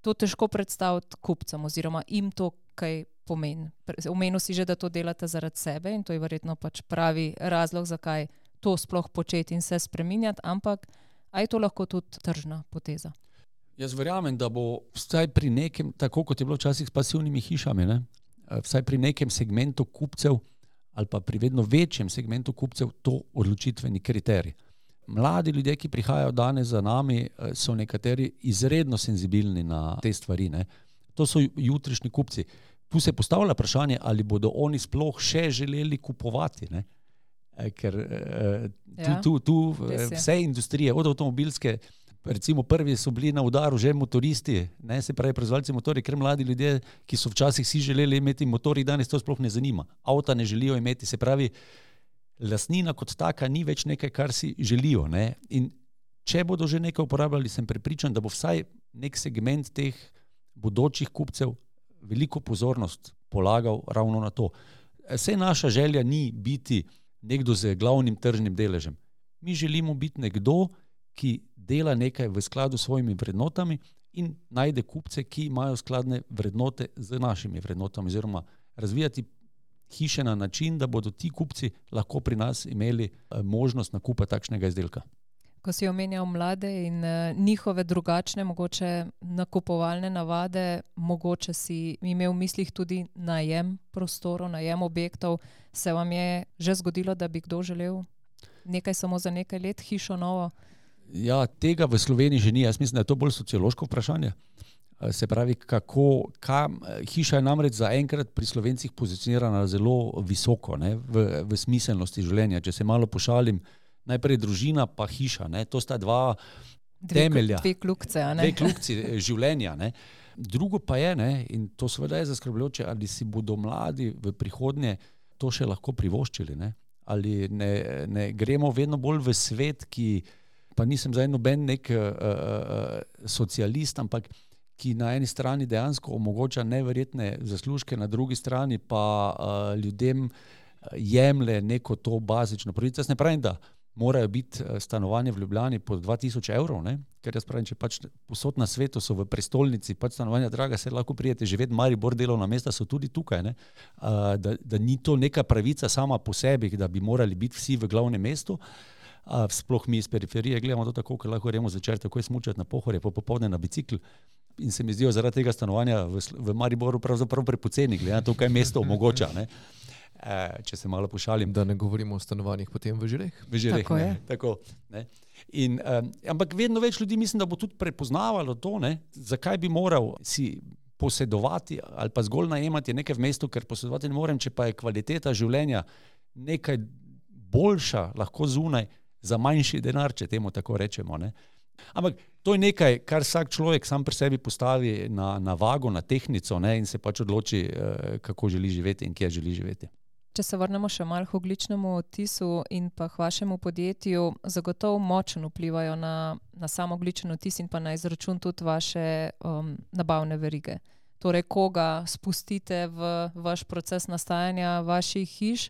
to težko predstaviti kupcem oziroma jim to kaj pomeni. Omenil si že, da to delate zaradi sebe in to je verjetno pač pravi razlog, zakaj to sploh početi in se spreminjati, ampak a je to lahko tudi tržna poteza?
Jaz verjamem, da bo vsaj pri nekem, tako kot je bilo včasih s pasivnimi hišami, ne? Vsaj pri nekem segmentu kupcev ali pa pri vedno večjem segmentu kupcev to odločitveni kriterij. Mladi ljudje, ki prihajajo danes za nami, so nekateri izredno senzibilni na te stvari. Ne? To so jutrišnji kupci. Tu se postavlja vprašanje, ali bodo oni sploh še želeli kupovati. Ne? ker tu,
Ja,
tu, tu
res je.
vse industrije, od avtomobilske, recimo prvi so bili na udaru že motoristi, ne, se pravi proizvajalci motorjev, ker mladi ljudje, ki so včasih si želeli imeti motorji, danes to sploh ne zanima. Avta ne želijo imeti, se pravi, lastnina kot taka ni več nekaj, kar si želijo, ne. In če bodo že nekaj uporabljali, sem prepričan, da bo vsaj nek segment teh bodočih kupcev veliko pozornost polagal ravno na to. Saj naša želja ni biti nekdo z glavnim tržnim deležem. Mi želimo biti nekdo, ki dela nekaj v skladu s svojimi vrednotami in najde kupce, ki imajo skladne vrednote z našimi vrednotami, oziroma razvijati hiše na način, da bodo ti kupci lahko pri nas imeli možnost nakupa takšnega izdelka.
Ko si omenjal mlade in uh, njihove drugačne, mogoče nakupovalne navade, mogoče si imel v mislih tudi najem prostorov, najem objektov, se vam je že zgodilo, da bi kdo želel nekaj samo za nekaj let, hišo novo?
Ja, tega v Sloveniji že ni. Jaz mislim, da je to bolj sociološko vprašanje. Se pravi, kako, kam, hiša je namreč zaenkrat pri Slovencih pozicionirana zelo visoko, ne, v, v smiselnosti življenja. Če se malo pošalim, najprej družina pa hiša, ne, to sta dva
Dve,
temelja.
dve klukce, a ne?
Dve klukci življenja, ne. Drugo pa je, ne, in to seveda je zaskrbljujoče, ali si bodo mladi v prihodnje to še lahko privoščili, ne. Ali ne, ne gremo vedno bolj v svet, ki, pa nisem zdaj noben nek uh, uh, socialist, ampak ki na eni strani dejansko omogoča neverjetne zaslužke, na drugi strani pa uh, ljudem jemlje neko to bazično pravico. Jaz ne pravim, da morajo biti stanovanje v Ljubljani pod dva tisoč evrov, ne? Ker jaz pravim, če pač posod na svetu so v prestolnici, pač stanovanja draga, se lahko prijete živeti, Maribor, delovna mesta so tudi tukaj, ne? Uh, da, da ni to neka pravica sama po sebi, da bi morali biti vsi v glavnem mestu. Uh, sploh mi iz periferije gledamo to tako, ker lahko gremo zvečer takoj smučati na Pohorje, pa popoldne na bicikl. In se mi zdijo zaradi tega stanovanja v, v Mariboru pravzaprav prepoceni, glede na to, kaj mesto omogoča, ne? Uh, če se malo pošalim.
Da ne govorimo o stanovanjih potem v Žireh.
V Žireh,
Tako
ne.
je.
Tako, ne. In, um, ampak vedno več ljudi mislim, da bo tudi prepoznavalo to, ne, zakaj bi moral si posedovati ali pa zgolj najemati nekaj v mestu, ker posedovati ne morem, če pa je kvaliteta življenja nekaj boljša, lahko zunaj, za manjši denar, če temu tako rečemo, ne. Ampak to je nekaj, kar vsak človek sam pri sebi postavi na, na vago, na tehnico, ne, in se pač odloči, kako želi živeti in kje želi živeti.
Če se vrnemo še malo k ogljičnemu odtisu in pa k vašemu podjetju, zagotovo močno vplivajo na, na sam ogljičen odtis in pa na izračun tudi vaše um, nabavne verige. Torej, koga spustite v vaš proces nastajanja vaših hiš,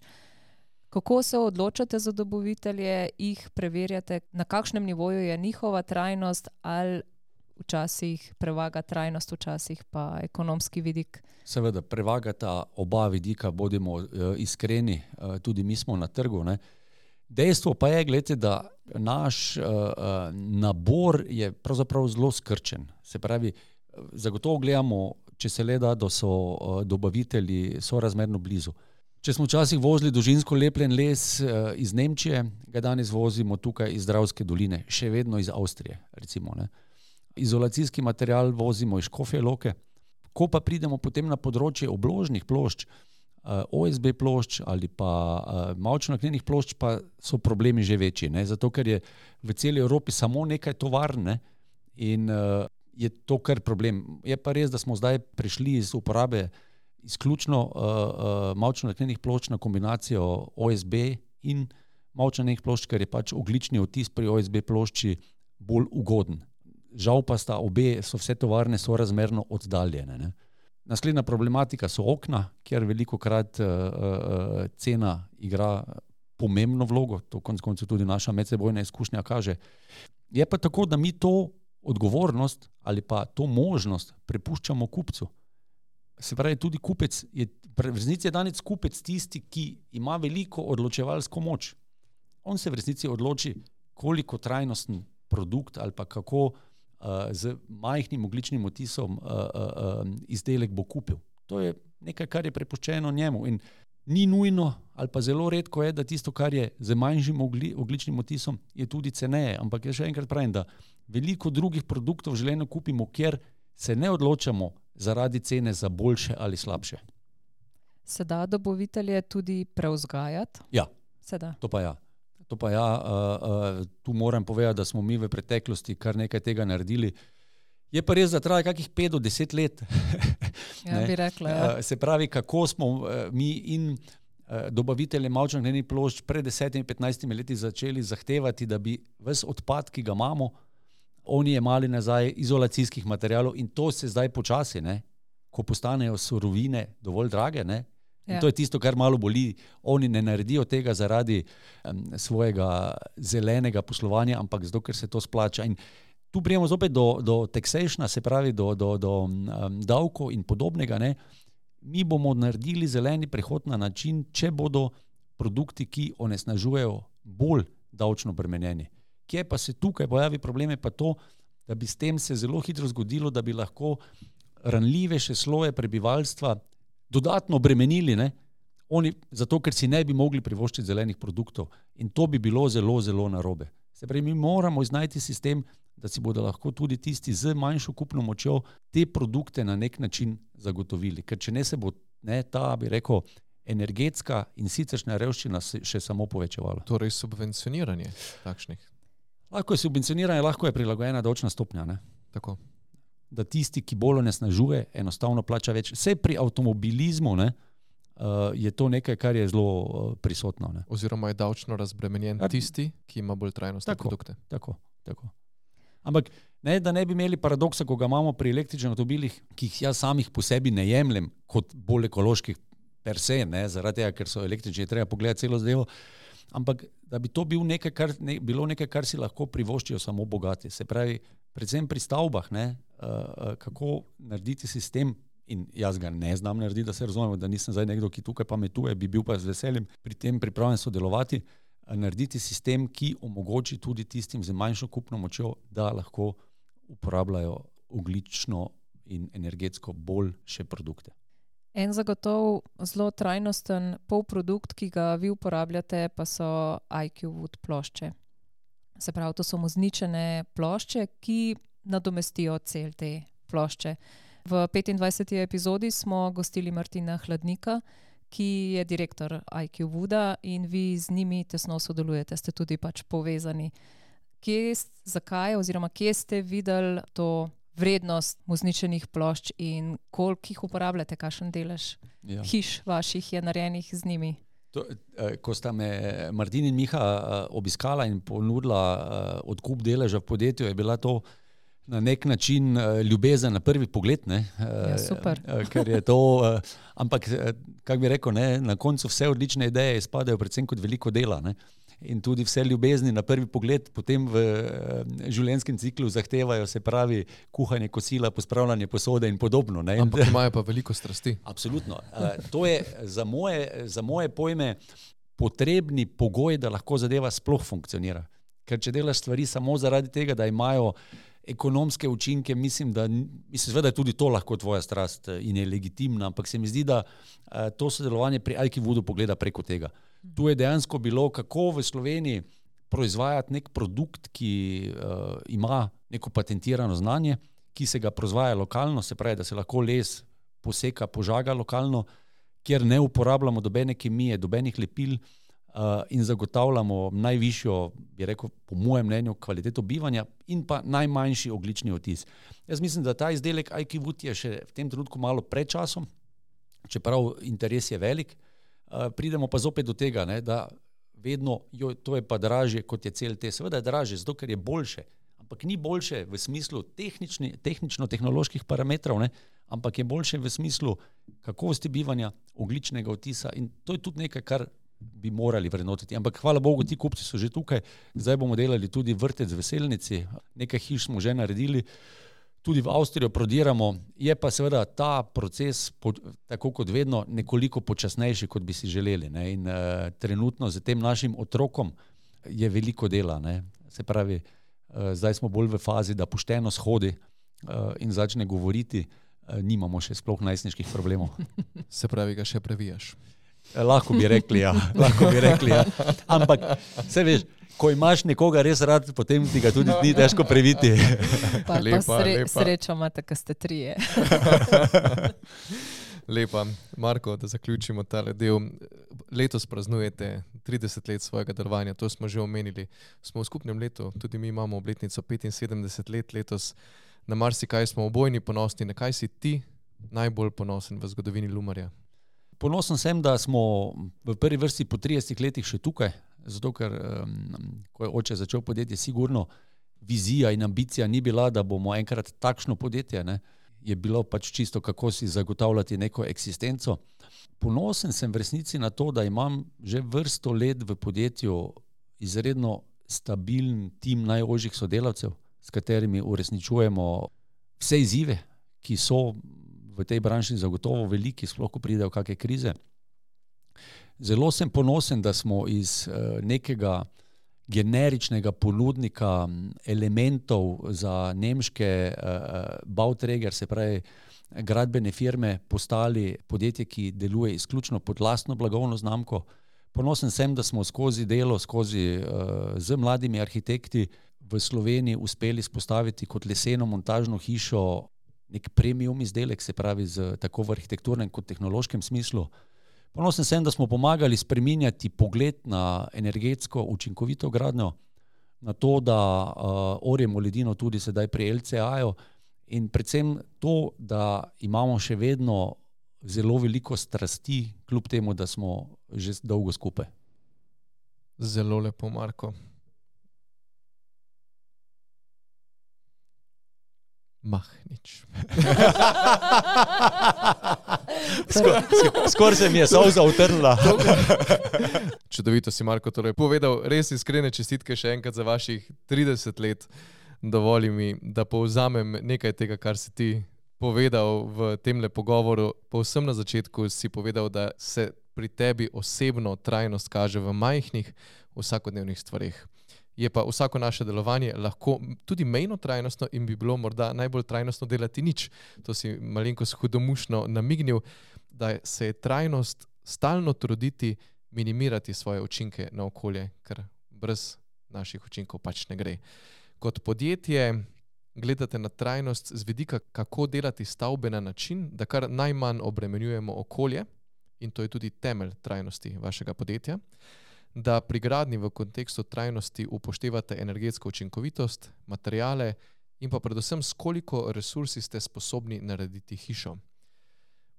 kako se odločate za dobavitelje, jih preverjate, na kakšnem nivoju je njihova trajnost, ali včasih prevaga trajnost, včasih pa ekonomski vidik?
Seveda, prevagata oba vidika, bodimo uh, iskreni, uh, tudi mi smo na trgu, ne. Dejstvo pa je, gledajte, da naš uh, uh, nabor je pravzaprav zelo skrčen. Se pravi, zagotovo gledamo, če se le da, da so uh, dobavitelji sorazmerno blizu. Če smo včasih vozili dolžinsko lepljen les uh, iz Nemčije, ga danes vozimo tukaj iz Dravske doline, še vedno iz Avstrije, recimo, ne. Izolacijski material vozimo iz Škofje Loke. Ko pa pridemo potem na področje obložnih plošč, O S B plošč ali pa mavčno-naknjenih plošč, pa so problemi že večji, ne? Zato ker je v celi Evropi samo nekaj tovarn, ne? In uh, je to kar problem. Je pa res, da smo zdaj prišli iz uporabe izključno uh, uh, mavčno-naknjenih plošč na kombinacijo O S B in mavčno-naknjenih plošč, ker je pač ogljični odtis pri O S B plošči bolj ugoden. Žal pa sta obe, so vse tovarne sorazmerno oddaljene, ne. Naslednja problematika so okna, kjer velikokrat uh, uh, cena igra pomembno vlogo, to konec koncev tudi naša medsebojna izkušnja kaže. Je pa tako, da mi to odgovornost ali pa to možnost prepuščamo kupcu. Se pravi, tudi kupec je, v resnici je danes kupec tisti, ki ima veliko odločevalsko moč. On se v resnici odloči, koliko trajnosten produkt ali pa kako z majhnim ogljičnim odtisom uh, uh, izdelek bo kupil. To je nekaj, kar je prepuščeno njemu in ni nujno ali pa zelo redko je, da tisto, kar je z manjšim ogli, ogljičnim odtisom, je tudi ceneje, ampak jaz še enkrat pravim, da veliko drugih produktov v življenju kupimo, kjer se ne odločamo zaradi cene za boljše ali slabše.
Se da dobavitelje tudi prevzgajati?
Ja,
Se da.
To pa ja. To pa ja, uh, uh, tu moram povedati, da smo mi v preteklosti kar nekaj tega naredili. Je pa res, da traja kakih pet do deset let.
Ja, bi rekla, ja.
Uh, se pravi, kako smo uh, mi in uh, dobavitelje mavčnih plošč pred desetimi, petnajstimi leti začeli zahtevati, da bi ves odpad, ki ga imamo, oni jemali nazaj izolacijskih materialov in to se zdaj počasi, ne, ko postanejo surovine dovolj drage, ne, in ja. To je tisto, kar malo boli. Oni ne naredijo tega zaradi um, svojega zelenega poslovanja, ampak zato, ker se to splača. In tu prijemo zopet do, do taxationa, se pravi do, do, do um, davkov in podobnega, ne. Mi bomo naredili zeleni prehod na način, če bodo produkti, ki onesnažujejo, bolj davčno bremenjeni. Kje pa se tukaj pojavi problem, je pa to, da bi s tem se zelo hitro zgodilo, da bi lahko ranljivejše sloje prebivalstva dodatno bremenili, ne? Oni, zato ker si ne bi mogli privoščiti zelenih produktov. In to bi bilo zelo, zelo narobe. Se pravi, mi moramo iznajti sistem, da si bodo lahko tudi tisti z manjšo kupno močjo te produkte na nek način zagotovili. Ker če ne se bo ne, ta, bi rekel, energetska in siceršnja revščina še samo povečevala.
Torej subvencioniranje takšnih?
Lahko je subvencioniranje, lahko je prilagojena davčna stopnja, ne?
Tako.
Da tisti, ki bolj onesnažuje, enostavno plača več. Vse pri avtomobilizmu, ne, je to nekaj, kar je zelo prisotno. Ne.
Oziroma je davčno razbremenjen tisti, ki ima bolj trajnostne
tako,
produkte.
Tako, tako. Ampak ne, da ne bi imeli paradoksa, ko ga imamo pri električnih avtomobilih, ki jih jaz samih po sebi ne jemljem kot bolj ekoloških per se, ne, zaradi tega, ker so električni, je treba pogledati celo zadevo, ampak da bi to bil nekaj, kar, ne, bilo nekaj, kar si lahko privoščijo samo bogati. Se pravi, predvsem pri stavbah, ne, uh, kako narediti sistem, in jaz ga ne znam narediti, da se razumemo, da nisem zdaj nekdo, ki tukaj pametuje, bi bil pa z veseljem pri tem pripravljen sodelovati, uh, narediti sistem, ki omogoči tudi tistim z manjšo kupno močjo, da lahko uporabljajo ogljično in energetsko boljše produkte.
En zagotov zelo trajnosten polprodukt, ki ga vi uporabljate, pa so I Q Wood plošče. Se pravi, to so mozničene plošče, ki nadomestijo cel te plošče. V petindvajseti epizodi smo gostili Martina Hladnika, ki je direktor I Q Wooda in vi z njimi tesno sodelujete, ste tudi pač povezani. Kje, zakaj oziroma kje ste videli to vrednost mozničenih plošč in koliko jih uporabljate, kakšen delež ja. hiš vaših je narejenih z njimi?
To, ko sta me Martin in Miha obiskala in ponudila odkup deleža v podjetju, je bila to na nek način ljubezen na prvi pogled, ne?
Ja, super.
Ker je to, ampak, kak bi rekel, ne, na koncu vse odlične ideje izpadajo predvsem kot veliko dela, ne? In tudi vse ljubezni na prvi pogled potem v življenjskem ciklu zahtevajo, se pravi, kuhanje kosila, pospravljanje posode in podobno. Ne?
Ampak imajo pa veliko strasti.
Absolutno. To je za moje, za moje pojme potrebni pogoj, da lahko zadeva sploh funkcionira. Ker če delaš stvari samo zaradi tega, da imajo ekonomske učinke, mislim, da mislim, da je tudi to lahko tvoja strast in je legitimna, ampak se mi zdi, da to sodelovanje pri I Q Woodu pogleda preko tega. Tu je dejansko bilo, kako v Sloveniji proizvajati nek produkt, ki uh, ima neko patentirano znanje, ki se ga proizvaja lokalno, se pravi, da se lahko les poseka, požaga lokalno, kjer ne uporabljamo dobene kemije, dobenih lepil uh, in zagotavljamo najvišjo, bi rekel, po mojem mnenju, kvaliteto bivanja in pa najmanjši ogljični odtis. Jaz mislim, da ta izdelek I Q Wood je še v tem trenutku malo pred časom, čeprav interes je velik. Uh, pridemo pa zopet do tega, ne, da vedno, jo, to je pa dražje kot je cel te. Seveda je dražje, zato ker je boljše, ampak ni boljše v smislu tehnično-tehnoloških parametrov, ne, ampak je boljše v smislu kakovosti bivanja, ogljičnega odtisa in to je tudi nekaj, kar bi morali vrednotiti. Ampak hvala Bogu, ti kupci so že tukaj, zdaj bomo delali tudi vrtec v Veselnici, nekaj hiš smo že naredili, tudi v Avstrijo prodiramo, je pa seveda ta proces, po, tako kot vedno, nekoliko počasnejši, kot bi si želeli. Ne? In uh, trenutno z tem našim otrokom je veliko dela. Ne? Se pravi, uh, zdaj smo bolj v fazi, da pošteno shodi uh, in začne govoriti, uh, nimamo še sploh najstniških problemov.
Se pravi, ga še previjaš.
Lahko bi rekli, ja. Lahko bi rekli, ja. Ampak, se veš, ko imaš nekoga res rad, potem ti ga tudi ni težko previti.
Pa, lepa, pa sre, lepa. Srečo imate, ko ste trije.
Lepa. Marko, da zaključimo tale del. Letos praznujete trideset let svojega delovanja, to smo že omenili. Smo v skupnem letu, tudi mi imamo obletnico petinsedemdeset let letos. Na marsikaj smo obojni ponosni. Na kaj si ti najbolj ponosen v zgodovini Lumarja?
Ponosen sem, da smo v prvi vrsti po tridesetih letih še tukaj, zato ker um, ko je oče začel podjetje, sigurno vizija in ambicija ni bila, da bomo enkrat takšno podjetje, ne? Je bilo pač čisto, kako si zagotavljati neko eksistenco. Ponosen sem v resnici na to, da imam že vrsto let v podjetju izredno stabilen tim najožjih sodelavcev, s katerimi uresničujemo vse izzive, ki so v tej branži zagotovo veliki, sploh ko pridejo kakšne krize. Zelo sem ponosen, da smo iz uh, nekega generičnega ponudnika elementov za nemške uh, Bauträger, se pravi gradbene firme, postali podjetje, ki deluje izključno pod lastno blagovno znamko. Ponosen sem, da smo skozi delo, skozi uh, z mladimi arhitekti v Sloveniji uspeli spostaviti kot leseno montažno hišo nek premium izdelek, se pravi z, tako v arhitekturnem kot tehnološkem smislu. Ponosen sem, da smo pomagali spreminjati pogled na energetsko učinkovito gradnjo, na to, da uh, orjemo ledino tudi sedaj pri el ce a-ju in predvsem to, da imamo še vedno zelo veliko strasti, kljub temu, da smo že dolgo skupaj.
Zelo lepo, Marko. Mah, nič.
Skor, skor se mi je solza utrnila.
Čudovito si, Marko, torej povedal, res iskrene čestitke še enkrat za vaših trideset let. Dovoli mi, da povzamem nekaj tega, kar si ti povedal v temle pogovoru. Povsem na začetku si povedal, da se pri tebi osebno trajnost kaže v majhnih vsakodnevnih stvareh. Je pa vsako naše delovanje lahko tudi mejno trajnostno in bi bilo morda najbolj trajnostno delati nič. To si malenkost hudomušno namignil, da se je trajnost stalno truditi minimirati svoje učinke na okolje, ker brez naših učinkov pač ne gre. Kot podjetje gledate na trajnost z vidika, kako delati stavbe na način, da kar najmanj obremenjujemo okolje, in to je tudi temelj trajnosti vašega podjetja, da pri gradnji v kontekstu trajnosti upoštevate energetsko učinkovitost, materiale in pa predvsem s koliko resursi ste sposobni narediti hišo.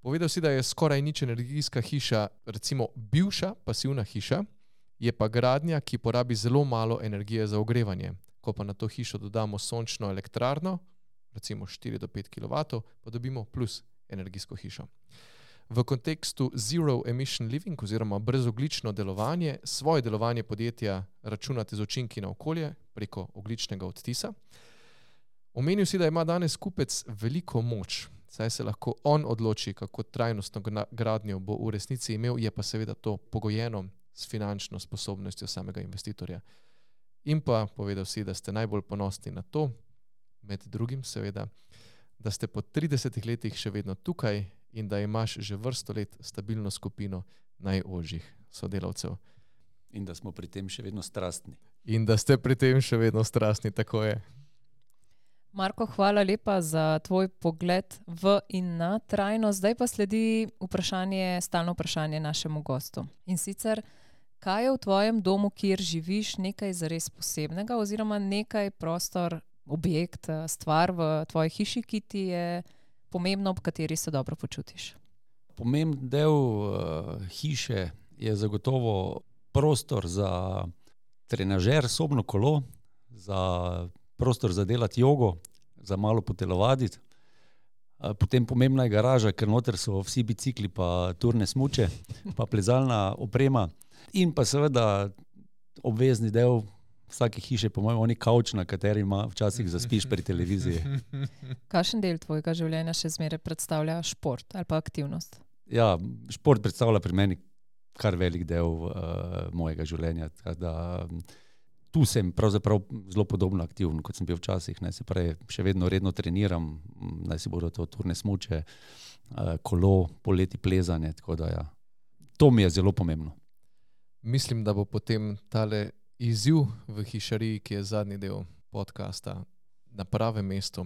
Povedal si, da je skoraj nič energijska hiša, recimo bivša pasivna hiša, je pa gradnja, ki porabi zelo malo energije za ogrevanje. Ko pa na to hišo dodamo sončno elektrarno, recimo štiri do pet kilovatov, pa dobimo plus energijsko hišo. V kontekstu zero emission living oziroma brezoglično delovanje, svoje delovanje podjetja računate z učinki na okolje preko ogličnega odtisa. Omenil si, da ima danes kupec veliko moč, saj se lahko on odloči, kako trajnostno gradnjo bo v resnici imel, je pa seveda to pogojeno s finančno sposobnostjo samega investitorja. In pa povedal si, da ste najbolj ponosni na to, med drugim seveda, da ste po tridesetih letih še vedno tukaj in da imaš že vrsto let stabilno skupino najožjih sodelavcev.
In da smo pri tem še vedno strastni.
In da ste pri tem še vedno strastni, tako je.
Marko, hvala lepa za tvoj pogled v in na trajnost. Zdaj pa sledi vprašanje, stalno vprašanje našemu gostu. In sicer, kaj je v tvojem domu, kjer živiš, nekaj zares posebnega oziroma nekaj prostor, objekt, stvar v tvoji hiši, ki ti je pomembno, ob kateri se dobro počutiš?
Pomemben del uh, hiše je zagotovo prostor za trenažer, sobno kolo, za prostor za delati jogo, za malo potelovaditi. Uh, potem pomembna je garaža, ker noter so vsi bicikli, pa turne smuče, pa plezalna oprema. In pa seveda obvezni del vsake hiše, po mojem, oni kavč, na kateri ima včasih zaspiš pri televiziji.
Kakšen del tvojega življenja še zmeraj predstavlja šport ali pa aktivnost?
Ja, šport predstavlja pri meni kar velik del uh, mojega življenja. Da, tu sem pravzaprav zelo podobno aktiven, kot sem bil včasih. Ne, se pravi, še vedno redno treniram, naj si bodo to turne smuče, uh, kolo, poleti plezanje, tako da ja. To mi je zelo pomembno.
Mislim, da bo potem tale izziv v hišariji, ki je zadnji del podcasta, na pravem mestu.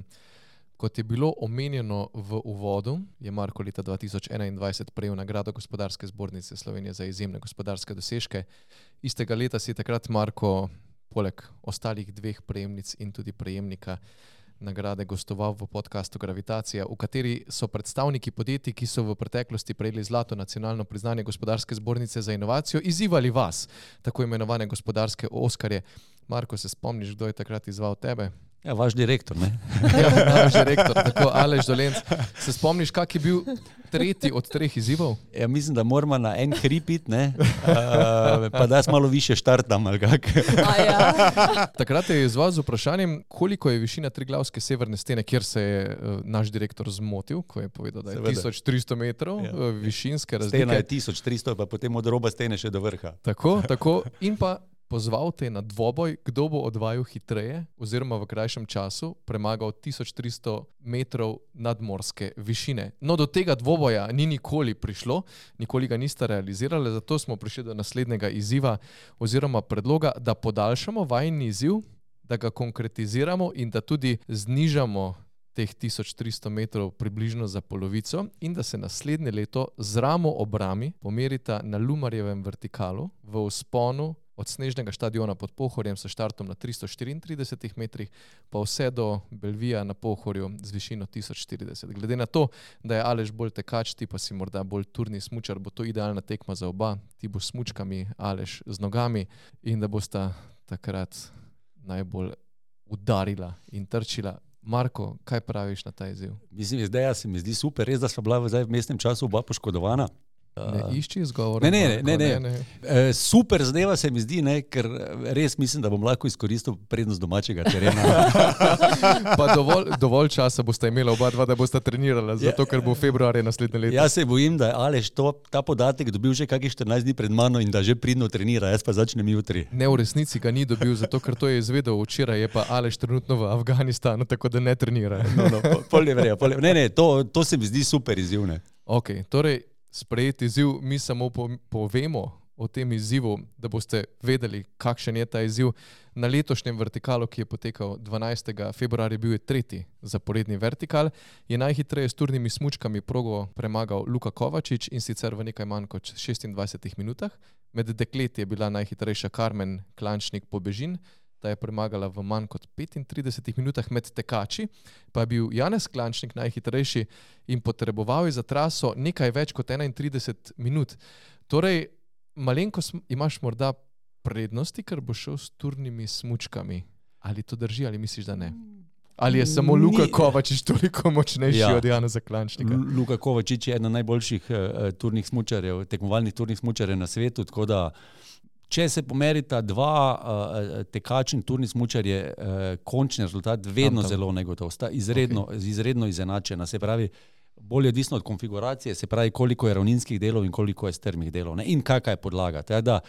Kot je bilo omenjeno v uvodu, je Marko leta dva tisoč enaindvajset prejel nagrado Gospodarske zbornice Slovenije za izjemne gospodarske dosežke Istega leta si takrat Marko, poleg ostalih dveh prejemnic in tudi prejemnika nagrade, gostoval v podcastu Gravitacija, v kateri so predstavniki podjetij, ki so v preteklosti prejeli zlato nacionalno priznanje Gospodarske zbornice za inovacijo, izzivali vas, tako imenovane gospodarske oskarje. Marko, se spomniš, kdo je takrat izzval tebe?
Ja, vaš direktor, ne?
Ja, vaš direktor, tako Aleš Dolenc. Se spomniš, kak je bil tretji od treh izzivov?
Ja, mislim, da moramo na en hripit, ne? Uh, pa da jaz malo više štartam, ali kak.
Ja.
Takrat je izzval z vprašanjem, koliko je višina Triglavske severne stene, kjer se je uh, naš direktor zmotil, ko je povedal, da je
Seveda.
tisoč tristo metrov
Ja.
uh, višinske razlike.
Stena je tisoč tristo, pa potem od roba stene še do vrha.
Tako, tako. In pa pozval te na dvoboj, kdo bo odvajal hitreje oziroma v krajšem času premagal tisoč tristo metrov nadmorske višine. No, do tega dvoboja ni nikoli prišlo, nikoli ga niste realizirali, zato smo prišli do naslednjega izziva oziroma predloga, da podaljšamo vajni izziv, da ga konkretiziramo in da tudi znižamo teh tisoč tristo metrov približno za polovico in da se naslednje leto z ramo ob rami pomerita na Lumarjevem vertikalu v vzponu od snežnega štadiona pod Pohorjem s štartom na tristo štiriintridesetih metrih pa vse do Belvija na Pohorju z višino tisoč štirideset. Glede na to, da je Aleš bolj tekač, ti pa si morda bolj turni smučar, bo to idealna tekma za oba. Ti boš s smučkami, Aleš z nogami in da bosta takrat najbolj udarila in trčila. Marko, kaj praviš na ta izziv?
Mislim, zdaj se mi zdi super, res, da sva bila v mestnem času oba poškodovana.
Ne išči izgovor.
Ne, ne, ne, ne. ne. E, super zadeva se mi zdi, ne, ker res mislim, da bom lahko izkoristil prednost domačega terena.
Pa dovolj, dovolj časa boste imela oba dva, da boste trenirala, zato ker bo februarja naslednje leto.
Jaz se bojim, da je Aleš to, ta podatek dobil že kakih štirinajst dni pred mano in da že pridno trenira, jaz pa začnem jutri.
Ne, v resnici ga ni dobil, zato ker to je izvedel včeraj, je pa Aleš trenutno v Afganistanu, tako da ne trenira.
No, no, pol je vrejo, pol je. Ne, ne, to, to se mi zdi super izziv, ne.
Ok, torej sprejeti izziv, mi samo povemo o tem izzivu, da boste vedeli, kakšen je ta izziv. Na letošnjem vertikalu, ki je potekal dvanajstega februarja, bil je tretji zaporedni vertikal, je najhitreje s turnimi smučkami progo premagal Luka Kovačič in sicer v nekaj manj kot šestindvajsetih minutah. Med dekleti je bila najhitrejša Karmen Klančnik-Pobežin, ta je premagala v manj kot petintridesetih minutah, med tekači pa je bil Janez Klančnik najhitrejši in potreboval je za traso nekaj več kot enaintrideset minut. Torej, malenko imaš morda prednosti, ker bo šel s turnimi smučkami. Ali to drži, ali misliš, da ne? Ali je samo Luka Kovačič toliko močnejši ja. od Janeza Klančnika?
Luka Kovačič je eden najboljših uh, turnih smučarjev, tekmovalnih turnih smučarjev na svetu, tako da če se pomerita dva uh, tekač in turni smučar, je uh, končni rezultat vedno tam, tam. zelo negotov. Sta izredno, okay. izredno izenačena. Se pravi, bolj odvisno od konfiguracije, se pravi, koliko je ravninskih delov in koliko je strmih delov. Ne? In kakšna je podlaga. Da,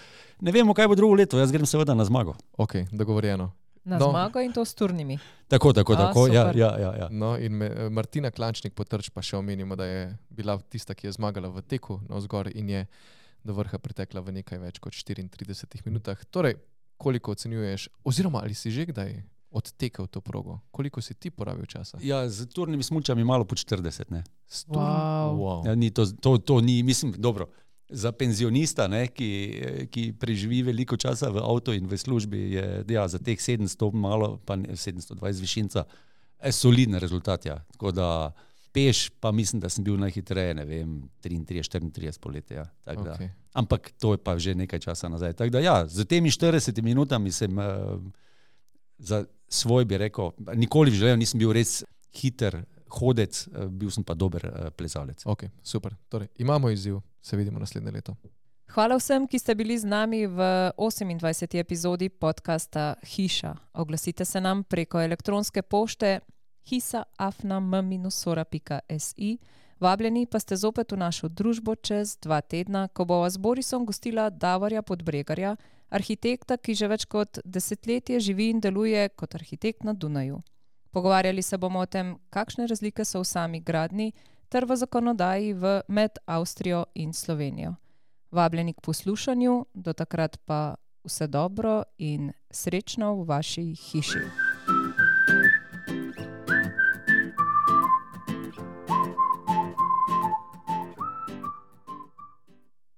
ne vemo, kaj bo drugo leto. Jaz grem seveda na zmago.
Ok, dogovorjeno.
Na no. zmago in to s turnimi.
Tako, tako, A, tako. Ja, ja, ja, ja.
No, in me, Martina Klančnik potrč pa še omenimo, da je bila tista, ki je zmagala v teku navzgor in je do vrha pritekla v nekaj več kot štiriintridesetih minutah. Torej, koliko ocenjuješ, oziroma ali si že kdaj odtekel to progo? Koliko si ti porabil časa?
Ja, z turnimi smučami malo po štirideset, ne.
Wow.
Wow.
Ja, ni to, to, to ni, mislim, dobro, za penzionista, ne, ki, ki preživi veliko časa v avtu in v službi, je ja, za teh sedemsto malo, pa ne, sedemsto dvajset višinca, je solidni rezultat, ja. Tako da peš, pa mislim, da sem bil najhitreje, ne vem, triintrideset, štiriintrideset poletje. Ja. Okay. Ampak to je pa že nekaj časa nazaj. Tako da ja, z temi štiridesetimi minutami sem uh, za svoj, bi rekel, nikoli v življenju nisem bil res hiter hodec, uh, bil sem pa dober uh, plezalec.
Ok, super. Torej, imamo izziv, se vidimo naslednje leto.
Hvala vsem, ki ste bili z nami v osemindvajseti epizodi podcasta Hiša. Oglasite se nam preko elektronske pošte hisa afna m minus-sora pika si. Vabljeni pa ste zopet v našo družbo čez dva tedna, ko bova z Borisom gostila Davorja Podbregarja, arhitekta, ki že več kot desetletje živi in deluje kot arhitekt na Dunaju. Pogovarjali se bomo o tem, kakšne razlike so v sami gradnji ter v zakonodaji v med Avstrijo in Slovenijo. Vabljeni k poslušanju, do takrat pa vse dobro in srečno v vaši hiši.